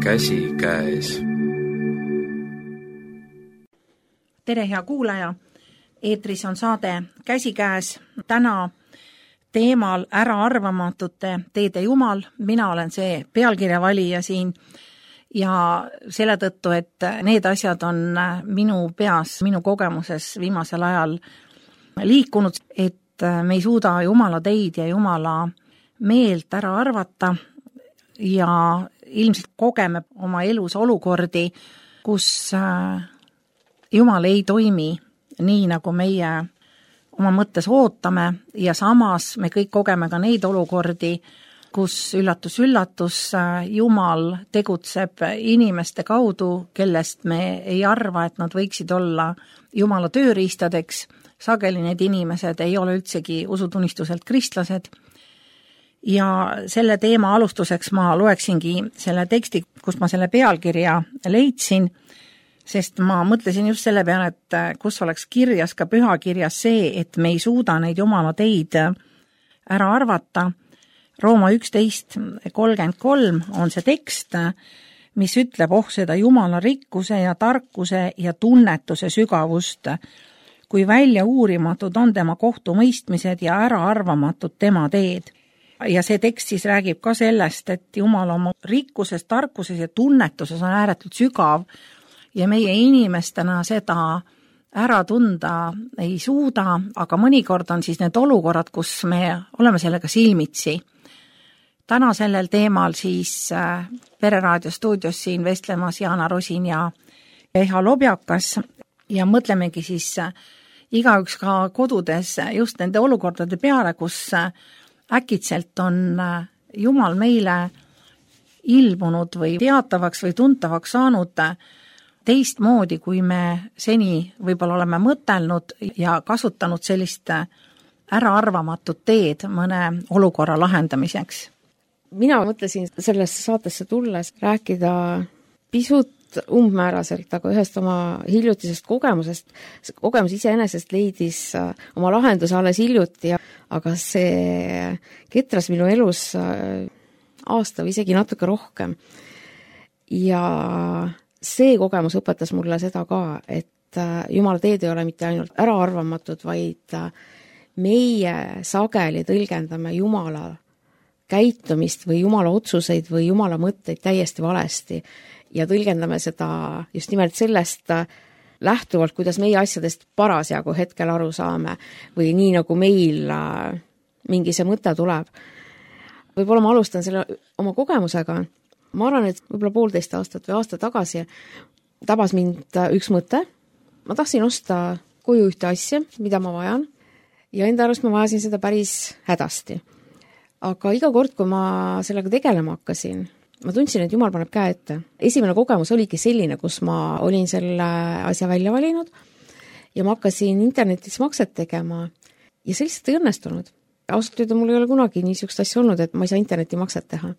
käsikäes. Tere, hea kuulaja! Eetris on saade Käsikäes. Täna teemal äraarvamatute teede jumal. Mina olen see pealkirja valija siin ja selle tõttu, et need asjad on minu peas, minu kogemuses viimasel ajal liikunud, et me ei suuda Jumala teid ja Jumala meelt ära arvata ja ilmselt kogeme oma elus olukordi, kus Jumal ei toimi nii, nagu meie oma mõttes ootame ja samas me kõik kogeme ka neid olukordi, kus üllatus, Jumal tegutseb inimeste kaudu, kellest me ei arva, et nad võiksid olla Jumala tööriistadeks. Sageli need inimesed ei ole üldsegi usutunnistuselt kristlased. Ja selle teema alustuseks ma loeksingi selle teksti, kus ma selle pealkirja leidsin, sest ma mõtlesin just selle peale, et kus oleks kirjas ka pühakirjas see, et me ei suuda neid Jumala teid ära arvata. Rooma 11:33 on see tekst, mis ütleb seda Jumala rikkuse ja tarkuse ja tunnetuse sügavust, kui välja uurimatud on tema kohtumõistmised ja äraarvamatud tema teed. Ja see tekst siis räägib ka sellest, et Jumal oma rikkuses, tarkuses ja tunnetuses on ääretult sügav ja meie inimestena seda ära tunda ei suuda, aga mõnikord on siis need olukorrad, kus me oleme sellega silmitsi. Täna sellel teemal siis Pereraadio stuudios siin vestlemas Jaana Rosin ja Eha Lobjakas ja mõtlemegi siis igaüks ka kodudes just nende olukordade peale, kus äkitselt on Jumal meile ilmunud või teatavaks või tuntavaks saanud teistmoodi, kui me seni võib-olla oleme mõtelnud ja kasutanud sellist äraarvamatut teed mõne olukorra lahendamiseks. Mina mõtlesin sellesse saatesse tulles rääkida pisut umbmääraselt, aga ühest oma hiljutisest kogemusest. Kogemus iseenesest leidis oma lahenduse alles hiljuti, aga see ketras minu elus aasta või isegi natuke rohkem. Ja see kogemus õpetas mulle seda ka, et Jumala teed ei ole mitte ainult äraarvamatud, vaid meie sageli tõlgendame Jumala käitumist või Jumala otsuseid või Jumala mõtteid täiesti valesti ja tõlgendame seda just nimelt sellest lähtuvalt, kuidas meie asjadest parasjagu hetkel aru saame või nii, nagu meil mingi see mõte tuleb. Võib-olla ma alustan selle oma kogemusega. Ma arvan, et võib-olla 1,5 aastat või aasta tagasi tabas mind üks mõte. Ma tahtsin osta koju ühte asja, mida ma vajan ja enda arust ma vajasin seda päris hädasti. Aga iga kord, kui ma sellega tegelema hakkasin, ma tundsin, et Jumal paneb käe ette. Esimene kogemus oligi selline, kus ma olin selle asja välja valinud ja ma hakkasin internetis makset tegema ja see lihtsalt ei õnnestunud. Ausalt öelda, mul ei ole kunagi niisugust asja olnud, et ma ei saa interneti makset teha.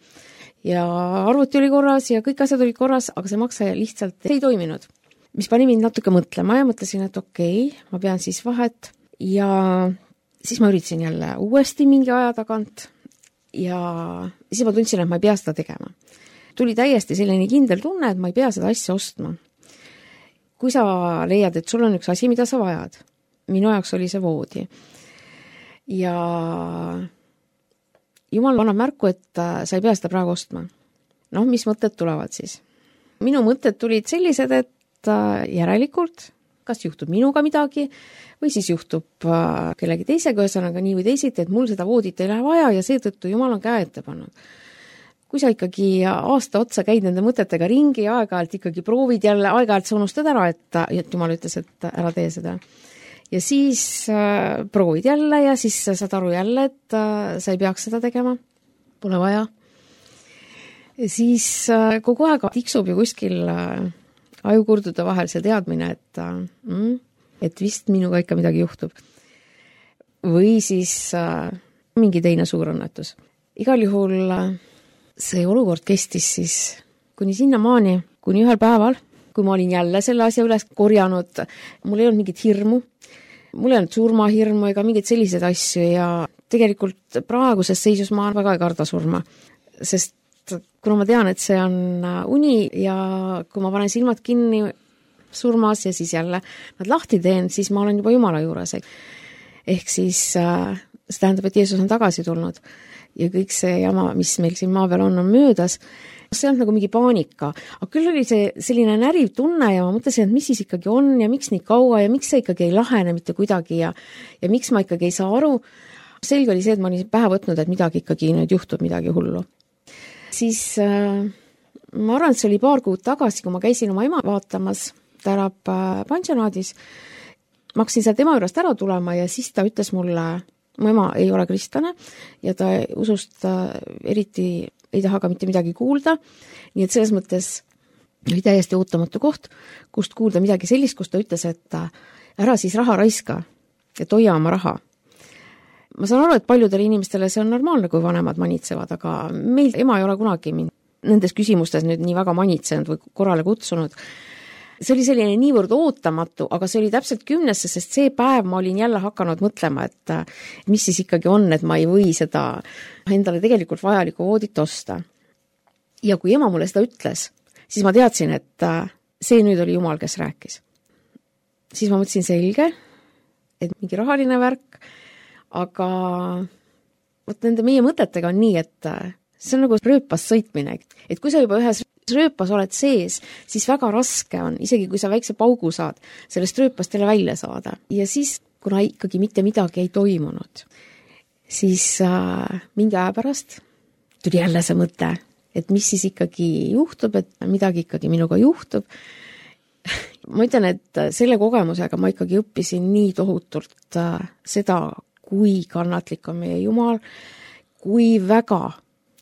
Ja arvuti oli korras ja kõik asjad olid korras, aga see makse lihtsalt ei toiminud. Mis pani mind natuke mõtlema ja mõtlesin, et okei, ma pean siis vahet ja siis ma üritasin jälle uuesti mingi aja tagant ja siis ma tundsin, et ma ei pea seda tegema. Tuli täiesti selline kindel tunne, et ma ei pea seda asja ostma. Kui sa leiad, et sul on üks asi, mida sa vajad, minu jaoks oli see voodi. Ja Jumal annab märku, et sa ei pea seda praegu ostma. Mis mõtted tulevad siis? Minu mõtted tulid sellised, et järelikult kas juhtub minuga midagi või siis juhtub kellegi teisega, ühesõnaga nii või teisiti, et mul seda voodit ei lähe vaja ja seetõttu Jumal on käe ette pannud. Kui sa ikkagi aasta otsa käid nende mõtetega ringi ja aeg-ajalt ikkagi proovid jälle, aeg-ajalt sa unustad ära, et Jumal ütles, et ära tee seda. Ja siis proovid jälle ja siis saad aru jälle, et sa ei peaks seda tegema, pole vaja. Ja siis kogu aeg tiksub ju kuskil ajukurdude vahel see teadmine, et vist minuga ikka midagi juhtub. Või siis mingi teine suur õnnetus. Igal juhul see olukord kestis siis kuni sinnamaani, kuni ühel päeval, kui ma olin jälle selle asja üles korjanud, mul ei olnud mingit hirmu, mul ei olnud surmahirmu ega mingeid selliseid asju ja tegelikult praeguses seisus ma väga ei karda surma, sest kuna ma tean, et see on uni ja kui ma panen silmad kinni surmas ja siis jälle nad lahti teen, siis ma olen juba Jumala juures. Ehk siis see tähendab, et Jeesus on tagasi tulnud ja kõik see jama, mis meil siin maa peal on möödas. See on nagu mingi paanika. Aga küll oli see selline näriv tunne ja ma mõtlesin, et mis siis ikkagi on ja miks nii kaua ja miks see ikkagi ei lahene mitte kuidagi ja miks ma ikkagi ei saa aru. Selge oli see, et ma olin pähe võtnud, et midagi ikkagi nüüd juhtub, midagi hullu. Siis ma arvan, et see oli paar kuud tagasi, kui ma käisin oma ema vaatamas, ta elab pansionaadis. Ma hakkasin seal tema juurest ära tulema ja siis ta ütles mulle, mu ema ei ole kristlane ja ta usust eriti ei taha ka mitte midagi kuulda. Nii et selles mõttes oli täiesti ootamatu koht, kust kuulda midagi sellist, kus ta ütles, et ära siis raha raiska, et hoia oma raha. Ma saan aru, et paljudele inimestele see on normaalne, kui vanemad manitsevad, aga meil ema ei ole kunagi mind nendes küsimustes nüüd nii väga manitsenud või korrale kutsunud. See oli selline niivõrd ootamatu, aga see oli täpselt 10, sest see päev ma olin jälle hakanud mõtlema, et mis siis ikkagi on, et ma ei või seda endale tegelikult vajalikku voodit osta. Ja kui ema mulle seda ütles, siis ma teadsin, et see nüüd oli Jumal, kes rääkis. Siis ma mõtlesin selge, et mingi rahaline värk, aga võt nende meie mõtetega on nii, et see on nagu rööpas sõitmine, et kui sa juba ühes rööpas oled sees, siis väga raske on, isegi kui sa väikse paugu saad, sellest rööpast jälle välja saada. Ja siis, kuna ikkagi mitte midagi ei toimunud, siis mingi aja pärast tuli jälle see mõte, et mis siis ikkagi juhtub, et midagi ikkagi minuga juhtub. Ma ütlen, et selle kogemusega ma ikkagi õppisin nii tohutult seda, kui kannatlik on meie Jumal, kui väga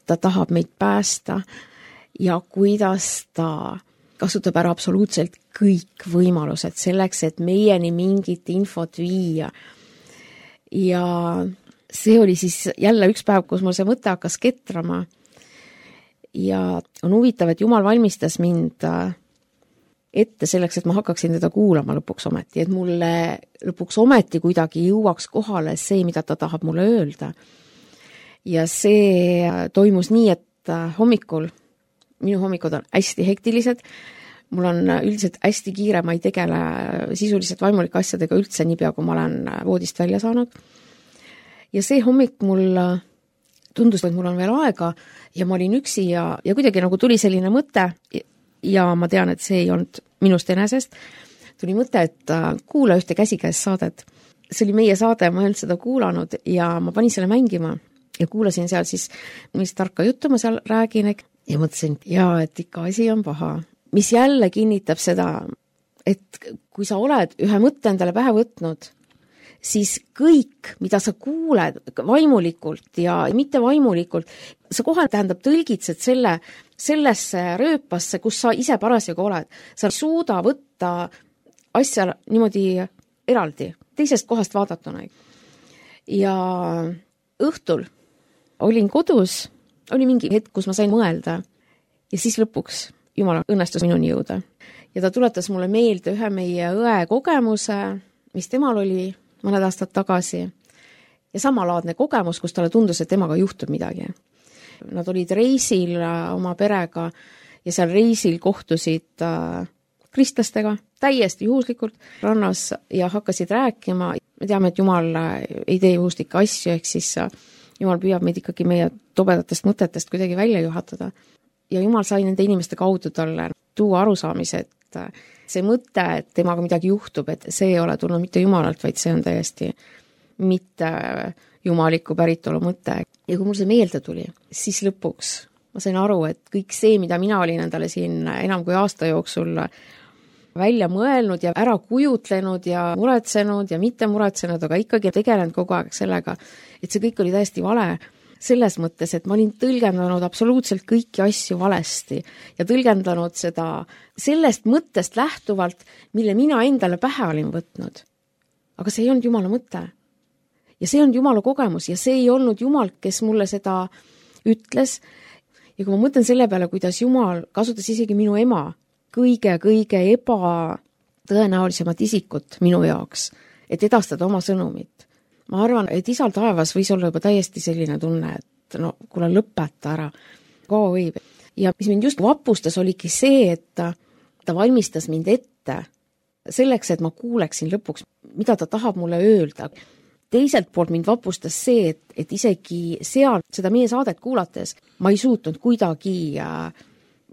ta tahab meid päästa ja kuidas ta kasutab ära absoluutselt kõik võimalused selleks, et meieni mingit infot viia. Ja see oli siis jälle üks päev, kus mul see mõte hakkas ketrama. Ja on huvitav, et Jumal valmistas mind ette selleks, et ma hakkaksin teda kuulama lõpuks ometi, et mulle lõpuks ometi kuidagi jõuaks kohale see, mida ta tahab mulle öelda. Ja see toimus nii, et hommikul, minu hommikud on hästi hektilised, mul on üldiselt hästi kiire, ma ei tegele sisuliselt vaimulike asjadega üldse niipea, kui ma olen voodist välja saanud. Ja see hommik mul tundus, et mul on veel aega ja ma olin üksi ja kuidagi nagu tuli selline mõte ja ma tean, et see ei olnud minust enesest. Tuli mõte, et kuula ühte käsikäes saadet. See oli meie saade, ma ei olnud seda kuulanud ja ma panin selle mängima ja kuulasin seal siis, mis tarka juttu ma seal räägin ja mõtlesin, et ikka asi on paha. Mis jälle kinnitab seda, et kui sa oled ühe mõtte endale pähe võtnud, siis kõik, mida sa kuuled vaimulikult ja mitte vaimulikult, sa kohe tähendab tõlgitsed sellesse rööpasse, kus sa ise parasjagu oled. Sa ei suuda võtta asja niimoodi eraldi, teisest kohast vaadatuna. Ja õhtul olin kodus, oli mingi hetk, kus ma sain mõelda ja siis lõpuks Jumal õnnestus minuni jõuda. Ja ta tuletas mulle meelde ühe meie õe kogemuse, mis temal oli mõned aastad tagasi ja samalaadne kogemus, kus talle tundus, et temaga juhtub midagi. Nad olid reisil oma perega ja seal reisil kohtusid kristlastega täiesti juhuslikult rannas ja hakkasid rääkima. Me teame, et Jumal ei tee juhuslikke asju, ehk siis Jumal püüab meid ikkagi meie tobedatest mõtetest kuidagi välja juhatada. Ja Jumal sai nende inimeste kaudu talle tuua arusaamise, et see mõte, et temaga midagi juhtub, et see ei ole tulnud mitte Jumalalt, vaid see on täiesti mitte jumaliku päritolu mõte. Ja kui mul see meelde tuli, siis lõpuks ma sain aru, et kõik see, mida mina olin endale siin enam kui aasta jooksul välja mõelnud ja ära kujutlenud ja muretsenud ja mitte muretsenud, aga ikkagi tegelenud kogu aeg sellega, et see kõik oli täiesti vale. Selles mõttes, et ma olin tõlgendanud absoluutselt kõiki asju valesti ja tõlgendanud seda sellest mõttest lähtuvalt, mille mina endale pähe olin võtnud. Aga see ei olnud Jumala mõte. Ja see on Jumala kogemus ja see ei olnud Jumal, kes mulle seda ütles. Ja kui ma mõtlen selle peale, kuidas Jumal kasutas isegi minu ema kõige ebatõenäolisemat isikut minu jaoks, et edastada oma sõnumit. Ma arvan, et isal taevas võis olla juba täiesti selline tunne, et no kuule lõpeta ära, kaua võib. Ja mis mind just vapustas, oligi see, et ta valmistas mind ette selleks, et ma kuuleksin lõpuks, mida ta tahab mulle öelda. Teiselt poolt mind vapustas see, et isegi seal seda meie saadet kuulates ma ei suutnud kuidagi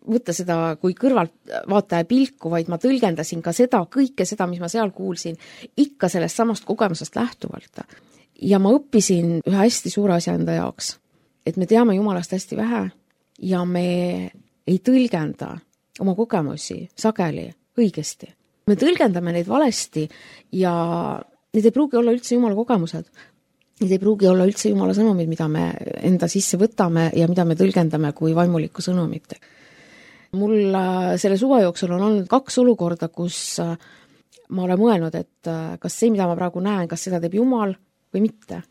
võtta seda kui kõrvaltvaataja pilku, vaid ma tõlgendasin ka seda, kõike seda, mis ma seal kuulsin, ikka sellest samast kogemusest lähtuvalt. Ja ma õppisin ühe hästi suure asja enda jaoks, et me teame Jumalast hästi vähe ja me ei tõlgenda oma kogemusi sageli õigesti. Me tõlgendame neid valesti ja need ei pruugi olla üldse Jumala kogemused. Need ei pruugi olla üldse Jumala sõnumid, mida me enda sisse võtame ja mida me tõlgendame kui vaimulikku sõnumit. Mul selle suve jooksul on olnud 2 olukorda, kus ma olen mõelnud, et kas see, mida ma praegu näen, kas seda teeb Jumal või mitte.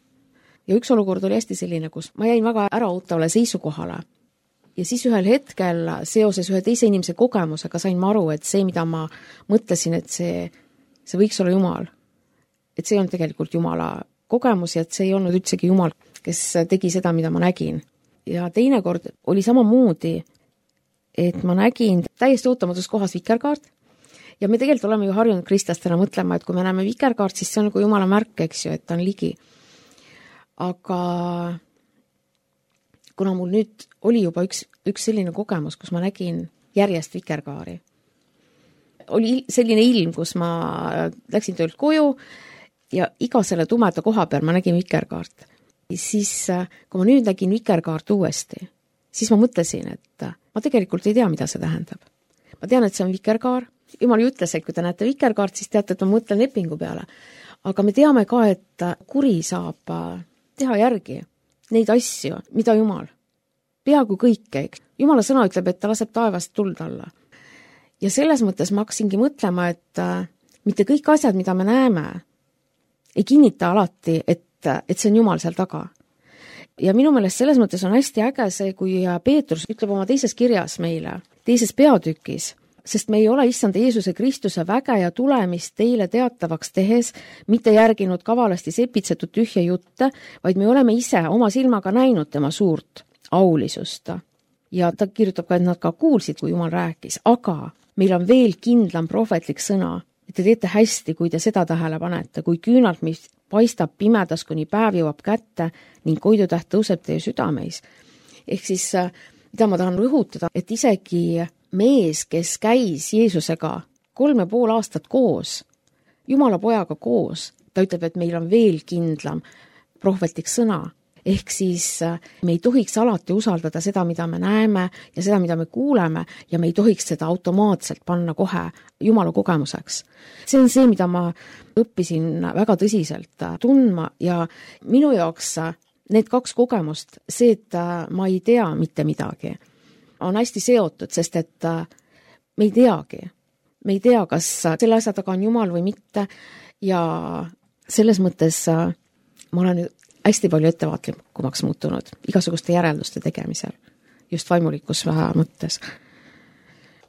Ja üks olukord oli hästi selline, kus ma jäin väga äraootavale seisukohale. Ja siis ühel hetkel seoses ühe teise inimese kogemusega sain ma aru, et see, mida ma mõtlesin, et see võiks olla Jumal. Et see on tegelikult Jumala kogemus ja et see ei olnud üldsegi Jumal, kes tegi seda, mida ma nägin. Ja teine kord oli samamoodi, et ma nägin täiesti ootamatus kohas vikerkaart ja me tegelikult oleme ju harjunud kristlastena mõtlema, et kui me näeme vikerkaart, siis see on nagu Jumala märk, eks ju, et ta on ligi. Aga kuna mul nüüd oli juba üks selline kogemus, kus ma nägin järjest vikerkaari. Oli selline ilm, kus ma läksin töölt koju ja iga selle tumeda koha peal ma nägin vikerkaart. Siis, kui ma nüüd nägin vikerkaart uuesti, siis ma mõtlesin, et ma tegelikult ei tea, mida see tähendab. Ma tean, et see on vikerkaar. Jumal ju ütles, et kui te näete vikerkaart, siis teate, et ma mõtlen lepingu peale. Aga me teame ka, et kuri saab teha järgi neid asju, mida Jumal. Peaaegu kõike. Jumala sõna ütleb, et ta laseb taevast tuld alla. Ja selles mõttes ma hakkasingi mõtlema, et mitte kõik asjad, mida me näeme, ei kinnita alati, et see on Jumal seal taga. Ja minu meelest selles mõttes on hästi äge see, kui Peetrus ütleb oma teises kirjas meile, teises peatükis, sest me ei ole issand Jeesuse Kristuse väge ja tulemist teile teatavaks tehes, mitte järginud kavalasti sepitsetud tühja jutte, vaid me oleme ise oma silmaga näinud tema suurt aulisust. Ja ta kirjutab ka, et nad ka kuulsid, kui Jumal rääkis, aga meil on veel kindlam prohvetlik sõna, et te teete hästi, kui te seda tähele panete, kui küünalt, mis paistab pimedas, kuni päev jõuab kätte ning koidutäht tõuseb teie südameis. Ehk siis, mida ma tahan rõhutada, et isegi mees, kes käis Jeesusega 3,5 aastat koos, Jumala pojaga koos, ta ütleb, et meil on veel kindlam prohvetlik sõna. Ehk siis me ei tohiks alati usaldada seda, mida me näeme ja seda, mida me kuuleme ja me ei tohiks seda automaatselt panna kohe Jumala kogemuseks. See on see, mida ma õppisin väga tõsiselt tundma ja minu jaoks need 2 kogemust, see, et ma ei tea mitte midagi, on hästi seotud, sest et me ei teagi. Me ei tea, kas selle asja taga on Jumal või mitte ja selles mõttes ma olen hästi palju ettevaatlikumaks muutunud igasuguste järelduste tegemisel, just vaimulikus mõttes.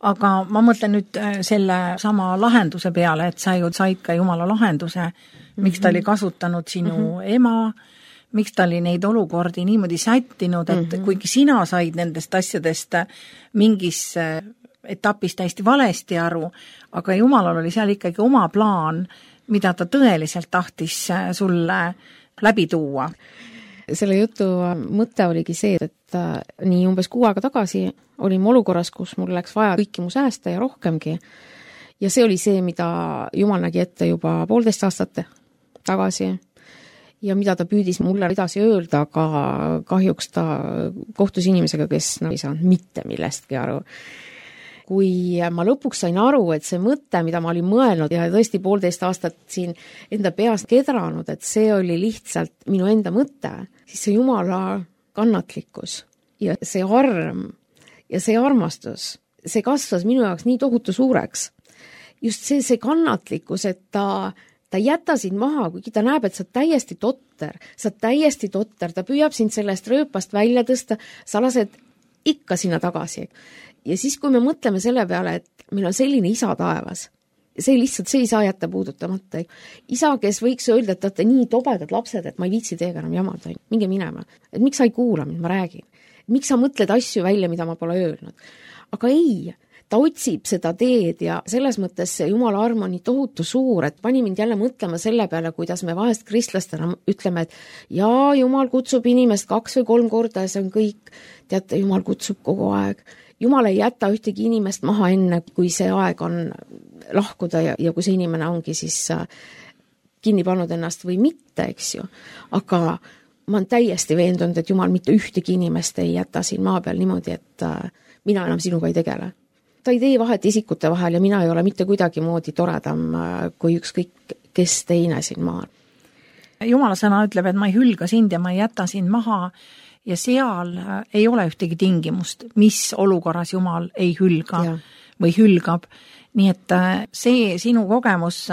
Aga ma mõtlen nüüd selle sama lahenduse peale, et sa ju said ka Jumala lahenduse, miks ta oli kasutanud sinu ema, miks ta oli neid olukordi niimoodi sättinud, et kuigi sina said nendest asjadest mingis etapis täiesti valesti aru, aga Jumalal oli seal ikkagi oma plaan, mida ta tõeliselt tahtis sulle läbi tuua. Selle jutu mõte oligi see, et nii umbes 6 aega tagasi olime olukorras, kus mul läks vaja kõiki mu säästa ja rohkemgi. Ja see oli see, mida Jumal nägi ette juba 1,5 aastat tagasi ja mida ta püüdis mulle edasi öelda, aga kahjuks ta kohtus inimesega, kes ei saanud mitte millestki aru. Kui ma lõpuks sain aru, et see mõte, mida ma olin mõelnud ja tõesti 1,5 aastat siin enda peas kedranud, et see oli lihtsalt minu enda mõte, siis see Jumala kannatlikkus ja see arm ja see armastus, see kasvas minu jaoks nii tohutu suureks. Just see kannatlikkus, et ta ei jäta sind maha, kuigi ta näeb, et sa täiesti totter, ta püüab sind sellest rööpast välja tõsta, sa lased ikka sinna tagasi. Ja siis, kui me mõtleme selle peale, et meil on selline isa taevas, see ei saa jätta puudutamata. Isa, kes võiks öelda, et te olete nii tobedad lapsed, et ma ei viitsi teiega enam jamada, minge minema. Et miks sa ei kuula mind, ma räägin. miks sa mõtled asju välja, mida ma pole öelnud. Aga ei, ta otsib seda teed ja selles mõttes see Jumala arm on nii tohutu suur, et pani mind jälle mõtlema selle peale, kuidas me vahest kristlastena ütleme, et jaa, Jumal kutsub inimest 2 või 3 korda ja see on kõik. Teate, Jumal kutsub kogu aeg. Jumal ei jäta ühtegi inimest maha enne, kui see aeg on lahkuda ja kui see inimene ongi siis kinni pannud ennast või mitte, eks ju. Aga ma olen täiesti veendunud, et Jumal mitte ühtegi inimest ei jäta siin maa peal niimoodi, et mina enam sinuga ei tegele. Ta ei tee vahet isikute vahel ja mina ei ole mitte kuidagi moodi toredam kui ükskõik kes teine siin maal. Jumala sõna ütleb, et ma ei hülga sind ja ma ei jäta sind maha ja seal ei ole ühtegi tingimust, mis olukorras Jumal ei hülga või hülgab. Nii et see sinu kogemus,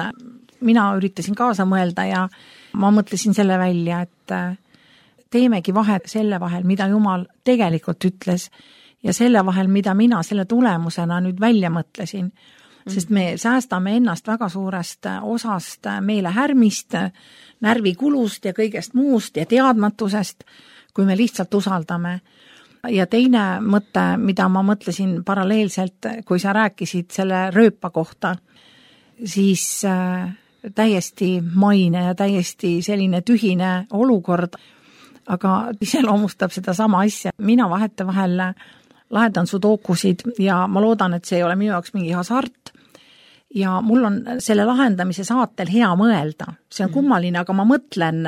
mina üritasin kaasa mõelda ja ma mõtlesin selle välja, et teemegi vahet selle vahel, mida Jumal tegelikult ütles ja selle vahel, mida mina selle tulemusena nüüd välja mõtlesin. Sest me säästame ennast väga suurest osast meelehärmist, närvikulust ja kõigest muust ja teadmatusest, kui me lihtsalt usaldame. Ja teine mõte, mida ma mõtlesin paralleelselt, kui sa rääkisid selle rööpa kohta, siis täiesti maine ja täiesti selline tühine olukord, aga iseloomustab seda sama asja. Mina vahetevahel lahendan sudokusid ja ma loodan, et see ei ole minu jaoks mingi hasart ja mul on selle lahendamise saatel hea mõelda. See on kummaline, aga ma mõtlen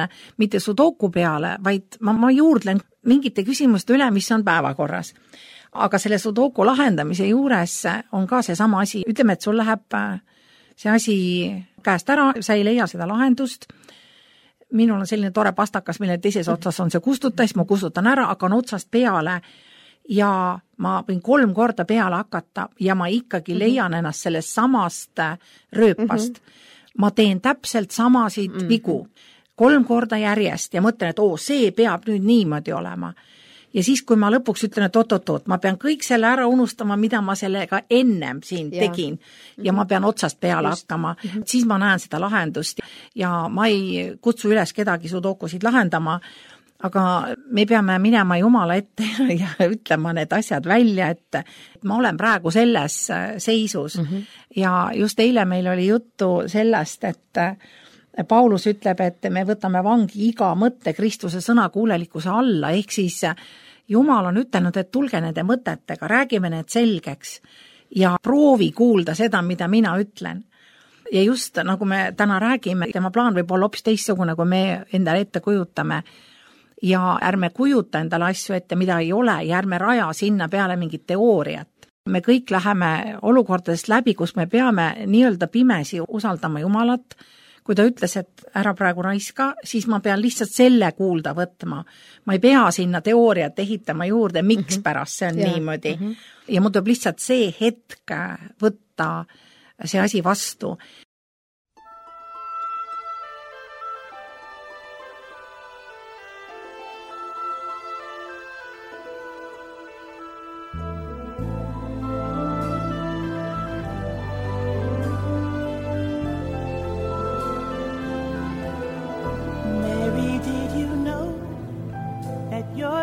mitte sudoku peale, vaid ma juurdlen mingite küsimuste üle, mis on päevakorras. Aga selle sudoku lahendamise juures on ka see sama asi. Ütleme, et sul läheb see asi käest ära, sa ei leia seda lahendust. Minul on selline tore pastakas, mille teises otsas on see kustuta, siis ma kustutan ära, hakkan otsast peale ja ma võin 3 korda peale hakata ja ma ikkagi leian ennast sellest samast rööpast. Ma teen täpselt samasid vigu 3 korda järjest ja mõtlen, et see peab nüüd niimoodi olema. Ja siis, kui ma lõpuks ütlen, et oot, ma pean kõik selle ära unustama, mida ma sellega ennem siin tegin ja ma pean otsast peale hakkama, siis ma näen seda lahendust ja ma ei kutsu üles kedagi sudokusid lahendama, aga me peame minema Jumala ette ja ütlema need asjad välja, et ma olen praegu selles seisus. Ja just eile meil oli juttu sellest, et Paulus ütleb, et me võtame vangi iga mõtte Kristuse sõnakuulelikkuse alla, ehk siis Jumal on ütelnud, et tulge nende mõtetega, räägime need selgeks ja proovi kuulda seda, mida mina ütlen. Ja just nagu me täna räägime, tema plaan võib olla hoopis teistsugune, kui me endale ette kujutame. Ja ärme kujuta endale asju ette, mida ei ole ja ärme raja sinna peale mingit teooriat. Me kõik läheme olukordadest läbi, kus me peame nii-öelda pimesi usaldama Jumalat. Kui ta ütles, et ära praegu raiska, siis ma pean lihtsalt selle kuulda võtma. Ma ei pea sinna teooriat ehitama juurde, miks pärast see on niimoodi. Ja mul tuleb lihtsalt see hetk võtta see asi vastu.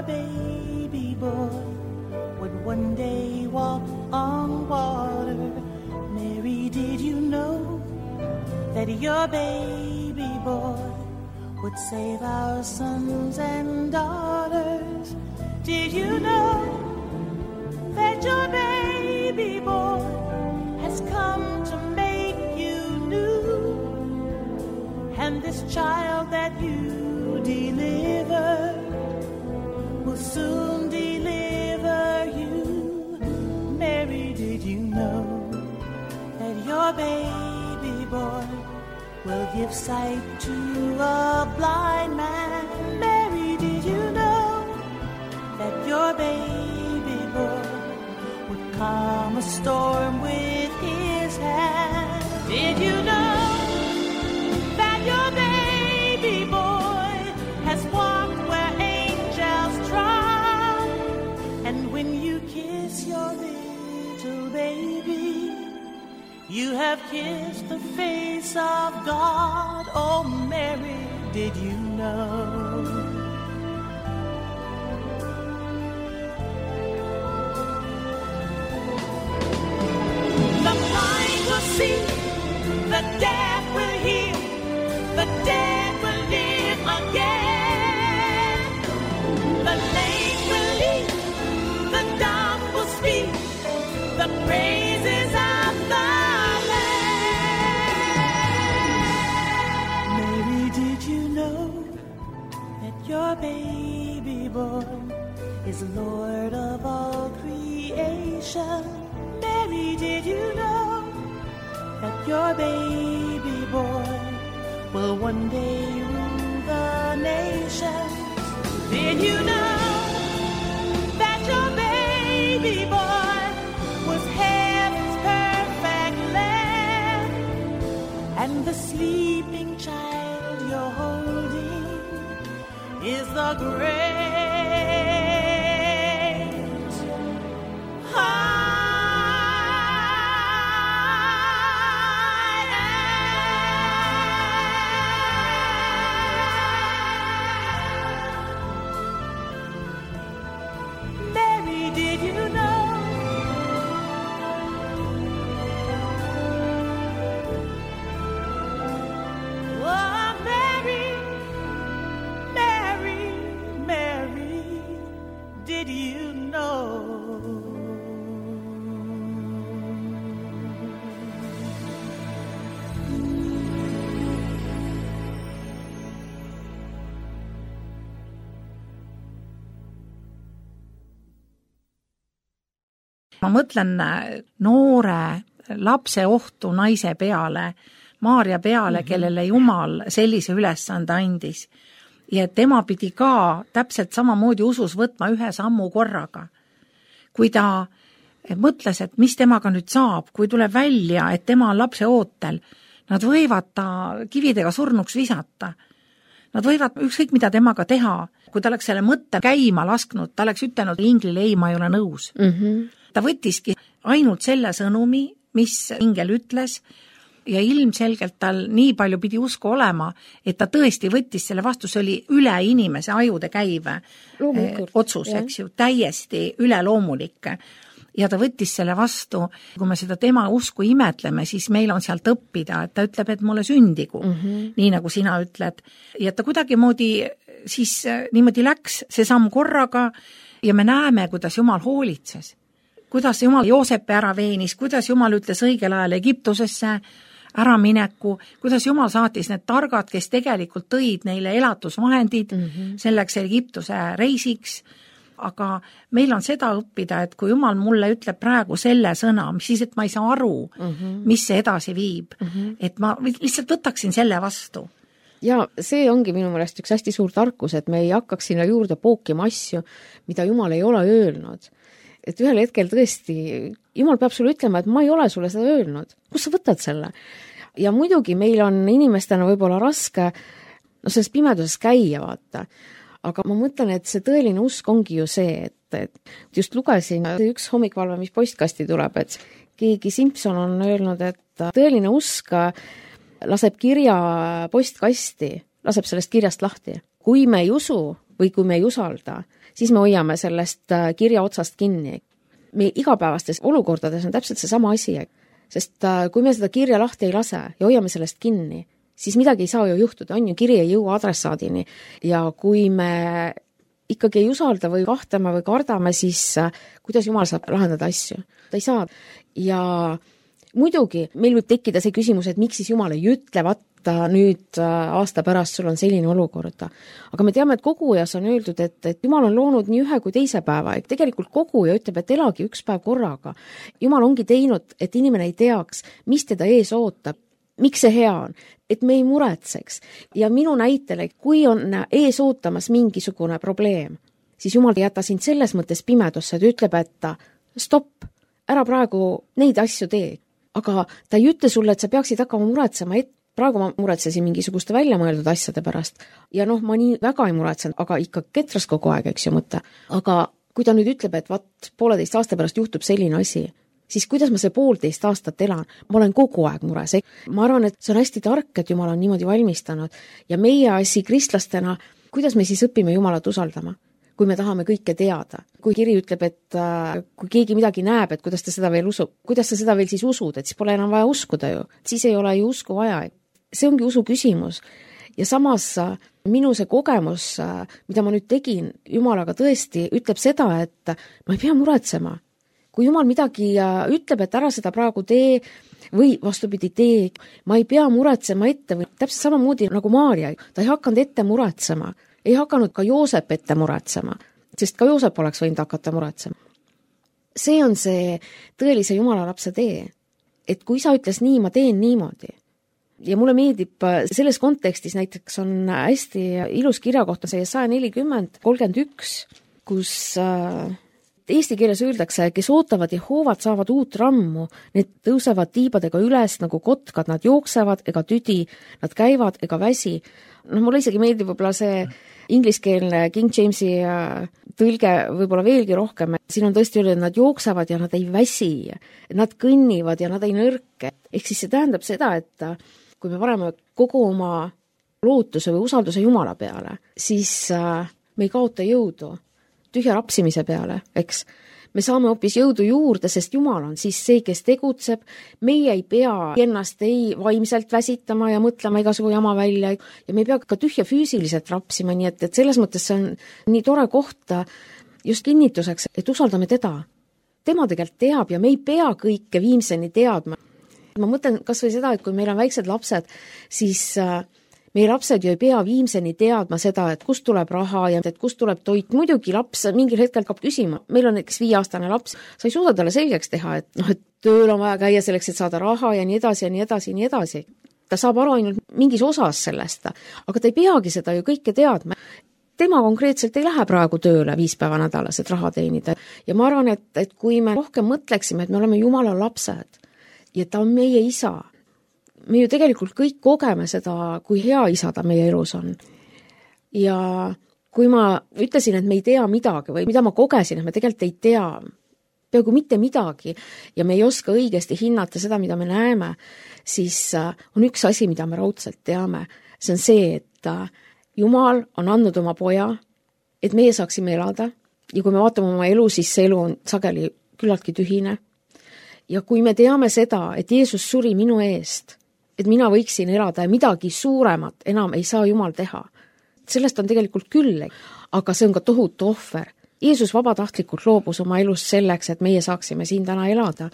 Baby boy would one day walk on water. Mary, did you know that your baby boy would save our sons and daughters? Did you know that your baby boy has come to make you new? And this child that you deliver will soon deliver you. Mary, did you know that your baby boy will give sight to a blind man? Mary, did you know that your baby boy would calm a storm with his hand? Did you know that your baby boy has walked where angels trod? And when you kiss your little baby, you have kissed the face of God. Oh, Mary, did you know? Lord of all creation. Mary, did you know that your baby boy will one day rule the nation? Did you know that your baby boy was heaven's perfect lamb, and the sleeping child you're holding is the great ma mõtlen noore lapse ohtu naise peale, Maarja peale, kellele Jumal sellise ülesande andis. Ja tema pidi ka täpselt samamoodi usus võtma ühe sammu korraga. Kui ta mõtles, et mis temaga nüüd saab, kui tuleb välja, et tema on lapse ootel, nad võivad ta kividega surnuks visata. Nad võivad ükskõik mida temaga teha. Kui ta oleks selle mõtte käima lasknud, ta oleks ütelnud inglile, ei, ma ei ole nõus. Ta võttiski ainult selle sõnumi, mis ingel ütles, ja ilmselgelt tal nii palju pidi usku olema, et ta tõesti võttis selle vastu, see oli üle inimese ajude käive otsus, eks ju, täiesti üleloomulik. Ja ta võttis selle vastu, kui me seda tema usku imetleme, siis meil on sealt õppida, et ta ütleb, et mulle sündigu, nii nagu sina ütled. Ja ta kuidagi moodi siis niimoodi läks see samm korraga ja me näeme, kuidas Jumal hoolitses. Kuidas Jumal Joosepi ära veenis, kuidas Jumal ütles õigel ajal Egiptusesse ära mineku, kuidas Jumal saatis need targad, kes tegelikult tõid neile elatusvahendid selleks Egiptuse reisiks, aga meil on seda õppida, et kui Jumal mulle ütleb praegu selle sõna, mis siis, et ma ei saa aru, mis see edasi viib, et ma lihtsalt võtaksin selle vastu. Ja see ongi minu meelest üks hästi suur tarkus, et me ei hakkaks sinna juurde pookima asju, mida Jumal ei ole öelnud. Et ühel hetkel tõesti, Jumal peab sulle ütlema, et ma ei ole sulle seda öelnud. Kus sa võtad selle? Ja muidugi meil on inimestena võib-olla raske selles pimeduses käia, vaata. Aga ma mõtlen, et see tõeline usk ongi ju see, et just lugesin üks hommikvalve, mis postkasti tuleb, et keegi Simpson on öelnud, et tõeline usk laseb kirja postkasti, laseb sellest kirjast lahti. Kui me ei usu või kui me ei usalda, siis me hoiame sellest kirja otsast kinni. Me igapäevastes olukordades on täpselt see sama asi, sest kui me seda kirja lahti ei lase ja hoiame sellest kinni, siis midagi ei saa ju juhtuda, on ju, kiri ei jõua adressaadini. Ja kui me ikkagi ei usalda või kahtame või kardame, siis kuidas Jumal saab lahendada asju? Ta ei saa. Ja muidugi meil võib tekkida see küsimus, et miks siis Jumal ei ütle, nüüd aasta pärast sul on selline olukord. Aga me teame, et kogujas on öeldud, et Jumal on loonud nii ühe kui teise päeva. Tegelikult koguja ütleb, et elagi üks päev korraga. Jumal ongi teinud, et inimene ei teaks, mis teda ees ootab, miks see hea on, et me ei muretseks. Ja minu näitele, kui on ees ootamas mingisugune probleem, siis Jumal ei jäta sind selles mõttes pimedusse, et ütleb, et stopp, ära praegu neid asju tee. Aga ta ei ütle sulle, et sa peaksid hakkama muretsema, et praegu ma muretsesin mingisuguste väljamõeldud asjade pärast. Ja ma nii väga ei muretsen, aga ikka ketras kogu aeg, eks ju mõte. Aga kui ta nüüd ütleb, et 1,5 aasta pärast juhtub selline asi, siis kuidas ma see 1,5 aastat elan? Ma olen kogu aeg mures. Ma arvan, et see on hästi tark, et Jumal on niimoodi valmistanud. Ja meie asi kristlastena, kuidas me siis õpime Jumalat usaldama? Kui me tahame kõike teada. Kui kiri ütleb, et kui keegi midagi näeb, et kuidas ta seda veel usub, kuidas sa seda veel siis usud, et siis pole enam vaja uskuda ju. Siis ei ole ju usku vaja. See ongi usu küsimus. Ja samas minu see kogemus, mida ma nüüd tegin Jumalaga tõesti, ütleb seda, et ma ei pea muretsema. Kui Jumal midagi ütleb, et ära seda praegu tee või vastupidi tee, ma ei pea muretsema ette või täpselt samamoodi nagu Maarja. Ta ei hakanud ette muretsema. Ei hakanud ka Joosep ette muretsema. sest ka Joosep oleks võinud hakata muretsema. See on see tõelise Jumala lapse tee, et kui isa ütles nii, ma teen niimoodi. Ja mulle meeldib selles kontekstis näiteks on hästi ilus kirjakoht on see 140:31, kus eesti keeles öeldakse, kes ootavad Jehoovat, saavad uut rammu, need tõusevad tiibadega üles nagu kotkad, nad jooksevad ega tüdi, nad käivad ega väsi. Mulle isegi meeldib võib-olla see ingliskeelne King Jamesi tõlge võib-olla veelgi rohkem. Siin on tõesti öeldud, et nad jooksevad ja nad ei väsi, nad kõnnivad ja nad ei nõrke. Ehk siis see tähendab seda, et kui me paneme kogu oma lootuse või usalduse Jumala peale, siis me ei kaota jõudu tühja rapsimise peale, eks. Me saame hoopis jõudu juurde, sest Jumal on siis see, kes tegutseb. Meie ei pea ennast ei vaimselt väsitama ja mõtlema igasugu jama välja ja me ei pea ka tühja füüsiliselt rapsima, nii et selles mõttes see on nii tore koht just kinnituseks, et usaldame teda. Tema tegelikult teab ja me ei pea kõike viimseni teadma. Ma mõtlen kas või seda, et kui meil on väiksed lapsed, siis meie lapsed ju ei pea viimseni teadma seda, et kust tuleb raha ja et kust tuleb toit. Muidugi laps mingil hetkel hakkab küsima. Meil on näiteks 5-aastane laps, sa ei suuda talle selgeks teha, et tööl on vaja käia selleks, et saada raha ja nii edasi ja nii edasi ja nii edasi. Ta saab aru ainult mingis osas sellest, aga ta ei peagi seda ju kõike teadma. Tema konkreetselt ei lähe praegu tööle 5 päeva nädalas, et raha teenida. Ja ma arvan, et kui me rohkem mõtleksime, et me oleme Jumala lapsed ja ta on meie isa, me ju tegelikult kõik kogeme seda, kui hea isa ta meie elus on. Ja kui ma ütlesin, et me ei tea midagi või mida ma kogesin, et me tegelikult ei tea peaaegu mitte midagi ja me ei oska õigesti hinnata seda, mida me näeme, siis on üks asi, mida me raudselt teame. See on see, et Jumal on andnud oma poja, et meie saaksime elada ja kui me vaatame oma elu, siis see elu on sageli küllaltki tühine. Ja kui me teame seda, et Jeesus suri minu eest, et mina võiksin elada ja midagi suuremat enam ei saa Jumal teha. Sellest on tegelikult küll, aga see on ka tohutu ohver. Jeesus vabatahtlikult loobus oma elust selleks, et meie saaksime siin täna elada.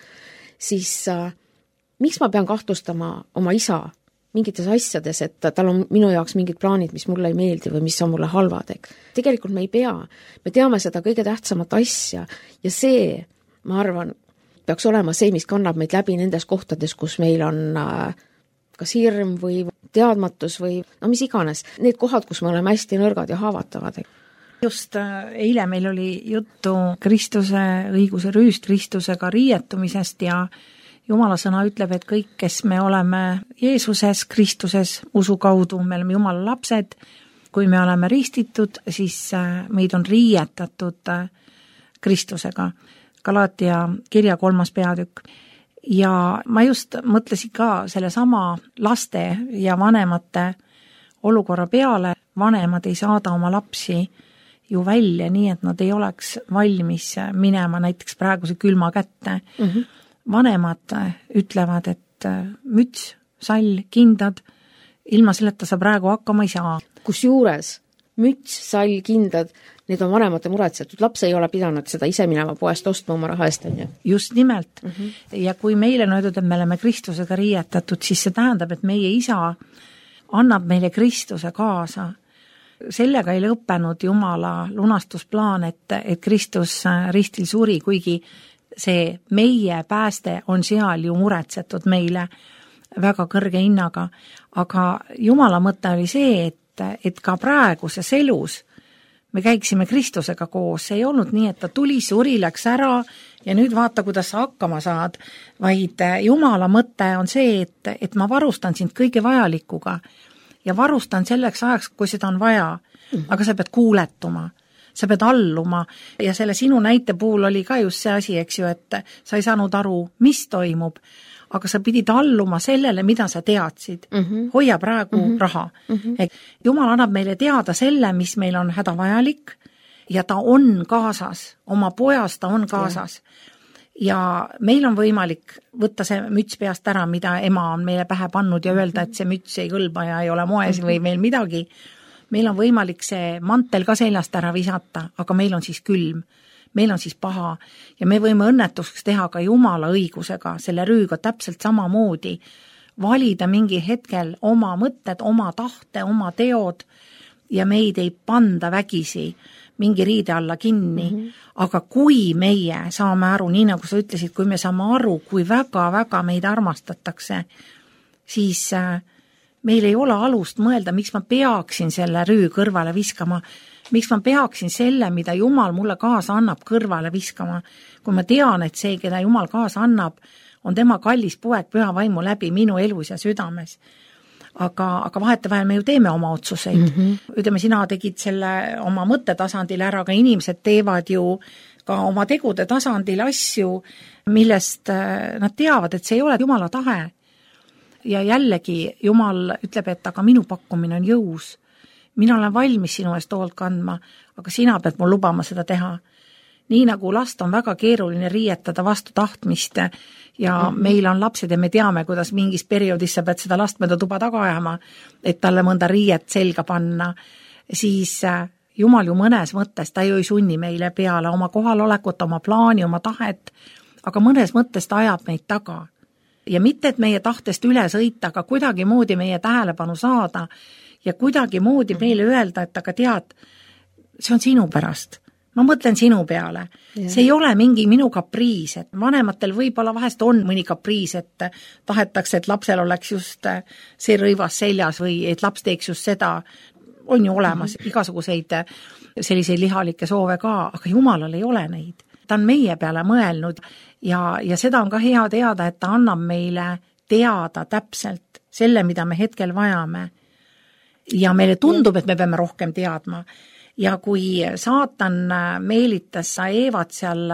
Siis miks ma pean kahtlustama oma isa mingites asjades, et tal on minu jaoks mingid plaanid, mis mulle ei meeldi või mis on mulle halvad. Tegelikult me ei pea. Me teame seda kõige tähtsamat asja ja see, ma arvan, peaks olema see, mis kannab meid läbi nendes kohtades, kus meil on kas hirm või teadmatus või mis iganes. Need kohad, kus me oleme hästi nõrgad ja haavatavad. Just eile meil oli juttu Kristuse õiguse rüüstristusega riietumisest ja Jumala sõna ütleb, et kõik, kes me oleme Jeesuses, Kristuses, usu kaudu, me oleme Jumala lapsed, kui me oleme ristitud, siis meid on riietatud Kristusega. Galaatia kirja 3. peatükk. Ja ma just mõtlesin ka selle sama laste ja vanemate olukorra peale. Vanemad ei saada oma lapsi ju välja nii, et nad ei oleks valmis minema näiteks praeguse külma kätte. Vanemad ütlevad, et müts, sall, kindad, ilma selleta sa praegu hakkama ei saa. Kusjuures müts, sall, kindad, need on vanemate muretsetud. Laps ei ole pidanud seda ise minema poest ostma oma raha eest. Just nimelt. Ja kui meile on öeldud, et me oleme Kristusega riietatud, siis see tähendab, et meie isa annab meile Kristuse kaasa. Sellega ei lõppenud Jumala lunastusplaan, et Kristus ristil suri, kuigi see meie pääste on seal ju muretsetud meile väga kõrge hinnaga. Aga Jumala mõte oli see, et ka praeguses elus me käiksime Kristusega koos. See ei olnud nii, et ta tuli, suri, läks ära ja nüüd vaata, kuidas sa hakkama saad. Vaid Jumala mõte on see, et ma varustan sind kõige vajalikuga ja varustan selleks ajaks, kui seda on vaja. Aga sa pead kuuletuma. Sa pead alluma ja selle sinu näite puhul oli ka just see asi, eks ju, et sa ei saanud aru, mis toimub, aga sa pidid alluma sellele, mida sa teadsid. Hoia praegu raha. Jumal annab meile teada selle, mis meil on hädavajalik ja ta on kaasas, oma pojas ta on kaasas. Ja meil on võimalik võtta see müts peast ära, mida ema on meile pähe pannud ja öelda, et see müts ei kõlba ja ei ole moes või meil midagi. Meil on võimalik see mantel ka seljast ära visata, aga meil on siis külm, meil on siis paha ja me võime õnnetuseks teha ka Jumala õigusega, selle rüüga täpselt samamoodi, valida mingi hetkel oma mõtted, oma tahte, oma teod ja meid ei panda vägisi. mingi riide alla kinni, aga kui meie saame aru, nii nagu sa ütlesid, kui me saame aru, kui väga-väga meid armastatakse, siis meil ei ole alust mõelda, miks ma peaksin selle rüü kõrvale viskama, miks ma peaksin selle, mida Jumal mulle kaasa annab, kõrvale viskama, kui ma tean, et see, keda Jumal kaasa annab, on tema kallis poeg püha vaimu läbi minu elus ja südames. Aga vahetevahel me ju teeme oma otsuseid. Ütleme, sina tegid selle oma mõttetasandil ära, aga inimesed teevad ju ka oma tegude tasandil asju, millest nad teavad, et see ei ole Jumala tahe. Ja jällegi Jumal ütleb, et aga minu pakkumine on jõus. Mina olen valmis sinu eest hoolt kandma, aga sina pead mul lubama seda teha. Nii nagu last on väga keeruline riietada vastu tahtmist ja meil on lapsed ja me teame, kuidas mingis perioodis sa pead seda last mööda tuba taga ajama, et talle mõnda riiet selga panna, siis Jumal ju mõnes mõttes, ta ju ei sunni meile peale oma kohalolekut, oma plaani, oma tahet, aga mõnes mõttes ta ajab meid taga. Ja mitte, et meie tahtest üle sõita, aga kuidagi moodi meie tähelepanu saada ja kuidagi moodi meile öelda, et aga tead, see on sinu pärast. Ma mõtlen sinu peale. See ei ole mingi minu kapriis, et vanematel võib-olla vahest on mõni kapriis, et tahetakse, et lapsel oleks just see rõivas seljas või et laps teeks just seda. On ju olemas igasuguseid selliseid lihalikke soove ka, aga Jumalal ei ole neid. Ta on meie peale mõelnud ja seda on ka hea teada, et ta annab meile teada täpselt selle, mida me hetkel vajame. Ja meile tundub, et me peame rohkem teadma. Ja kui saatan meelitas sa Eevat seal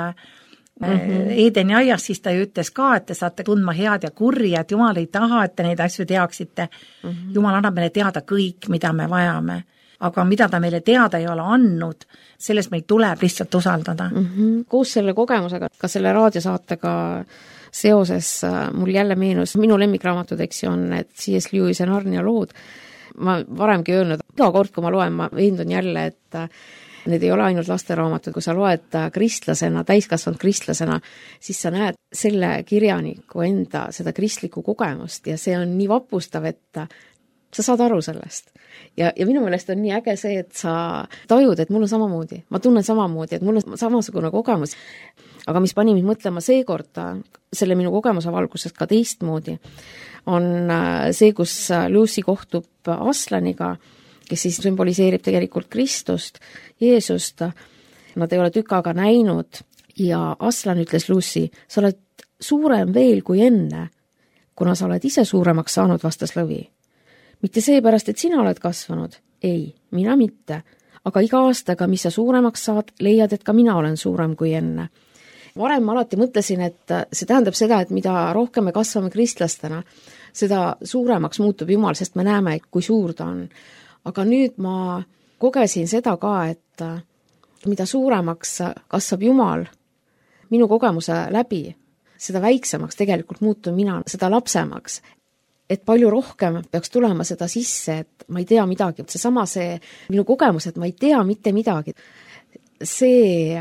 Eedeni aias, siis ta ju ütles ka, et te saate tundma head ja kurja, et Jumal ei taha, et te neid asju teaksite. Jumal annab meile teada kõik, mida me vajame. Aga mida ta meile teada ei ole andnud, sellest meil tuleb lihtsalt usaldada. Koos selle kogemusega, ka selle raadiosaatega seoses mul jälle meenus, minu lemmikraamatudeks on need C.S. Lewis ja Narnia lood. Ma varemgi öelnud, iga kord, kui ma loen, ma veendun jälle, et need ei ole ainult lasteraamatud, kui sa loed kristlasena, täiskasvanud kristlasena, siis sa näed selle kirjaniku enda seda kristlikku kogemust ja see on nii vapustav, et sa saad aru sellest. Ja minu meelest on nii äge see, et sa tajud, et mul on samamoodi, ma tunnen samamoodi, et mul on samasugune kogemus. Aga mis pani mind mõtlema seekord selle minu kogemuse valguses ka teistmoodi, on see, kus Lucy kohtub Aslaniga, kes siis sümboliseerib tegelikult Kristust, Jeesust. Nad ei ole tükaga näinud ja Aslan ütles Lucy, sa oled suurem veel kui enne, kuna sa oled ise suuremaks saanud, vastas lõvi. Mitte seepärast, et sina oled kasvanud. Ei, mina mitte. Aga iga aastaga, mis sa suuremaks saad, leiad, et ka mina olen suurem kui enne. Varem ma alati mõtlesin, et see tähendab seda, et mida rohkem me kasvame kristlastena, seda suuremaks muutub Jumal, sest me näeme, kui suur ta on. Aga nüüd ma kogesin seda ka, et mida suuremaks kasvab Jumal minu kogemuse läbi, seda väiksemaks tegelikult muutun mina, seda lapsemaks. Et palju rohkem peaks tulema seda sisse, et ma ei tea midagi. See minu kogemus, et ma ei tea mitte midagi. See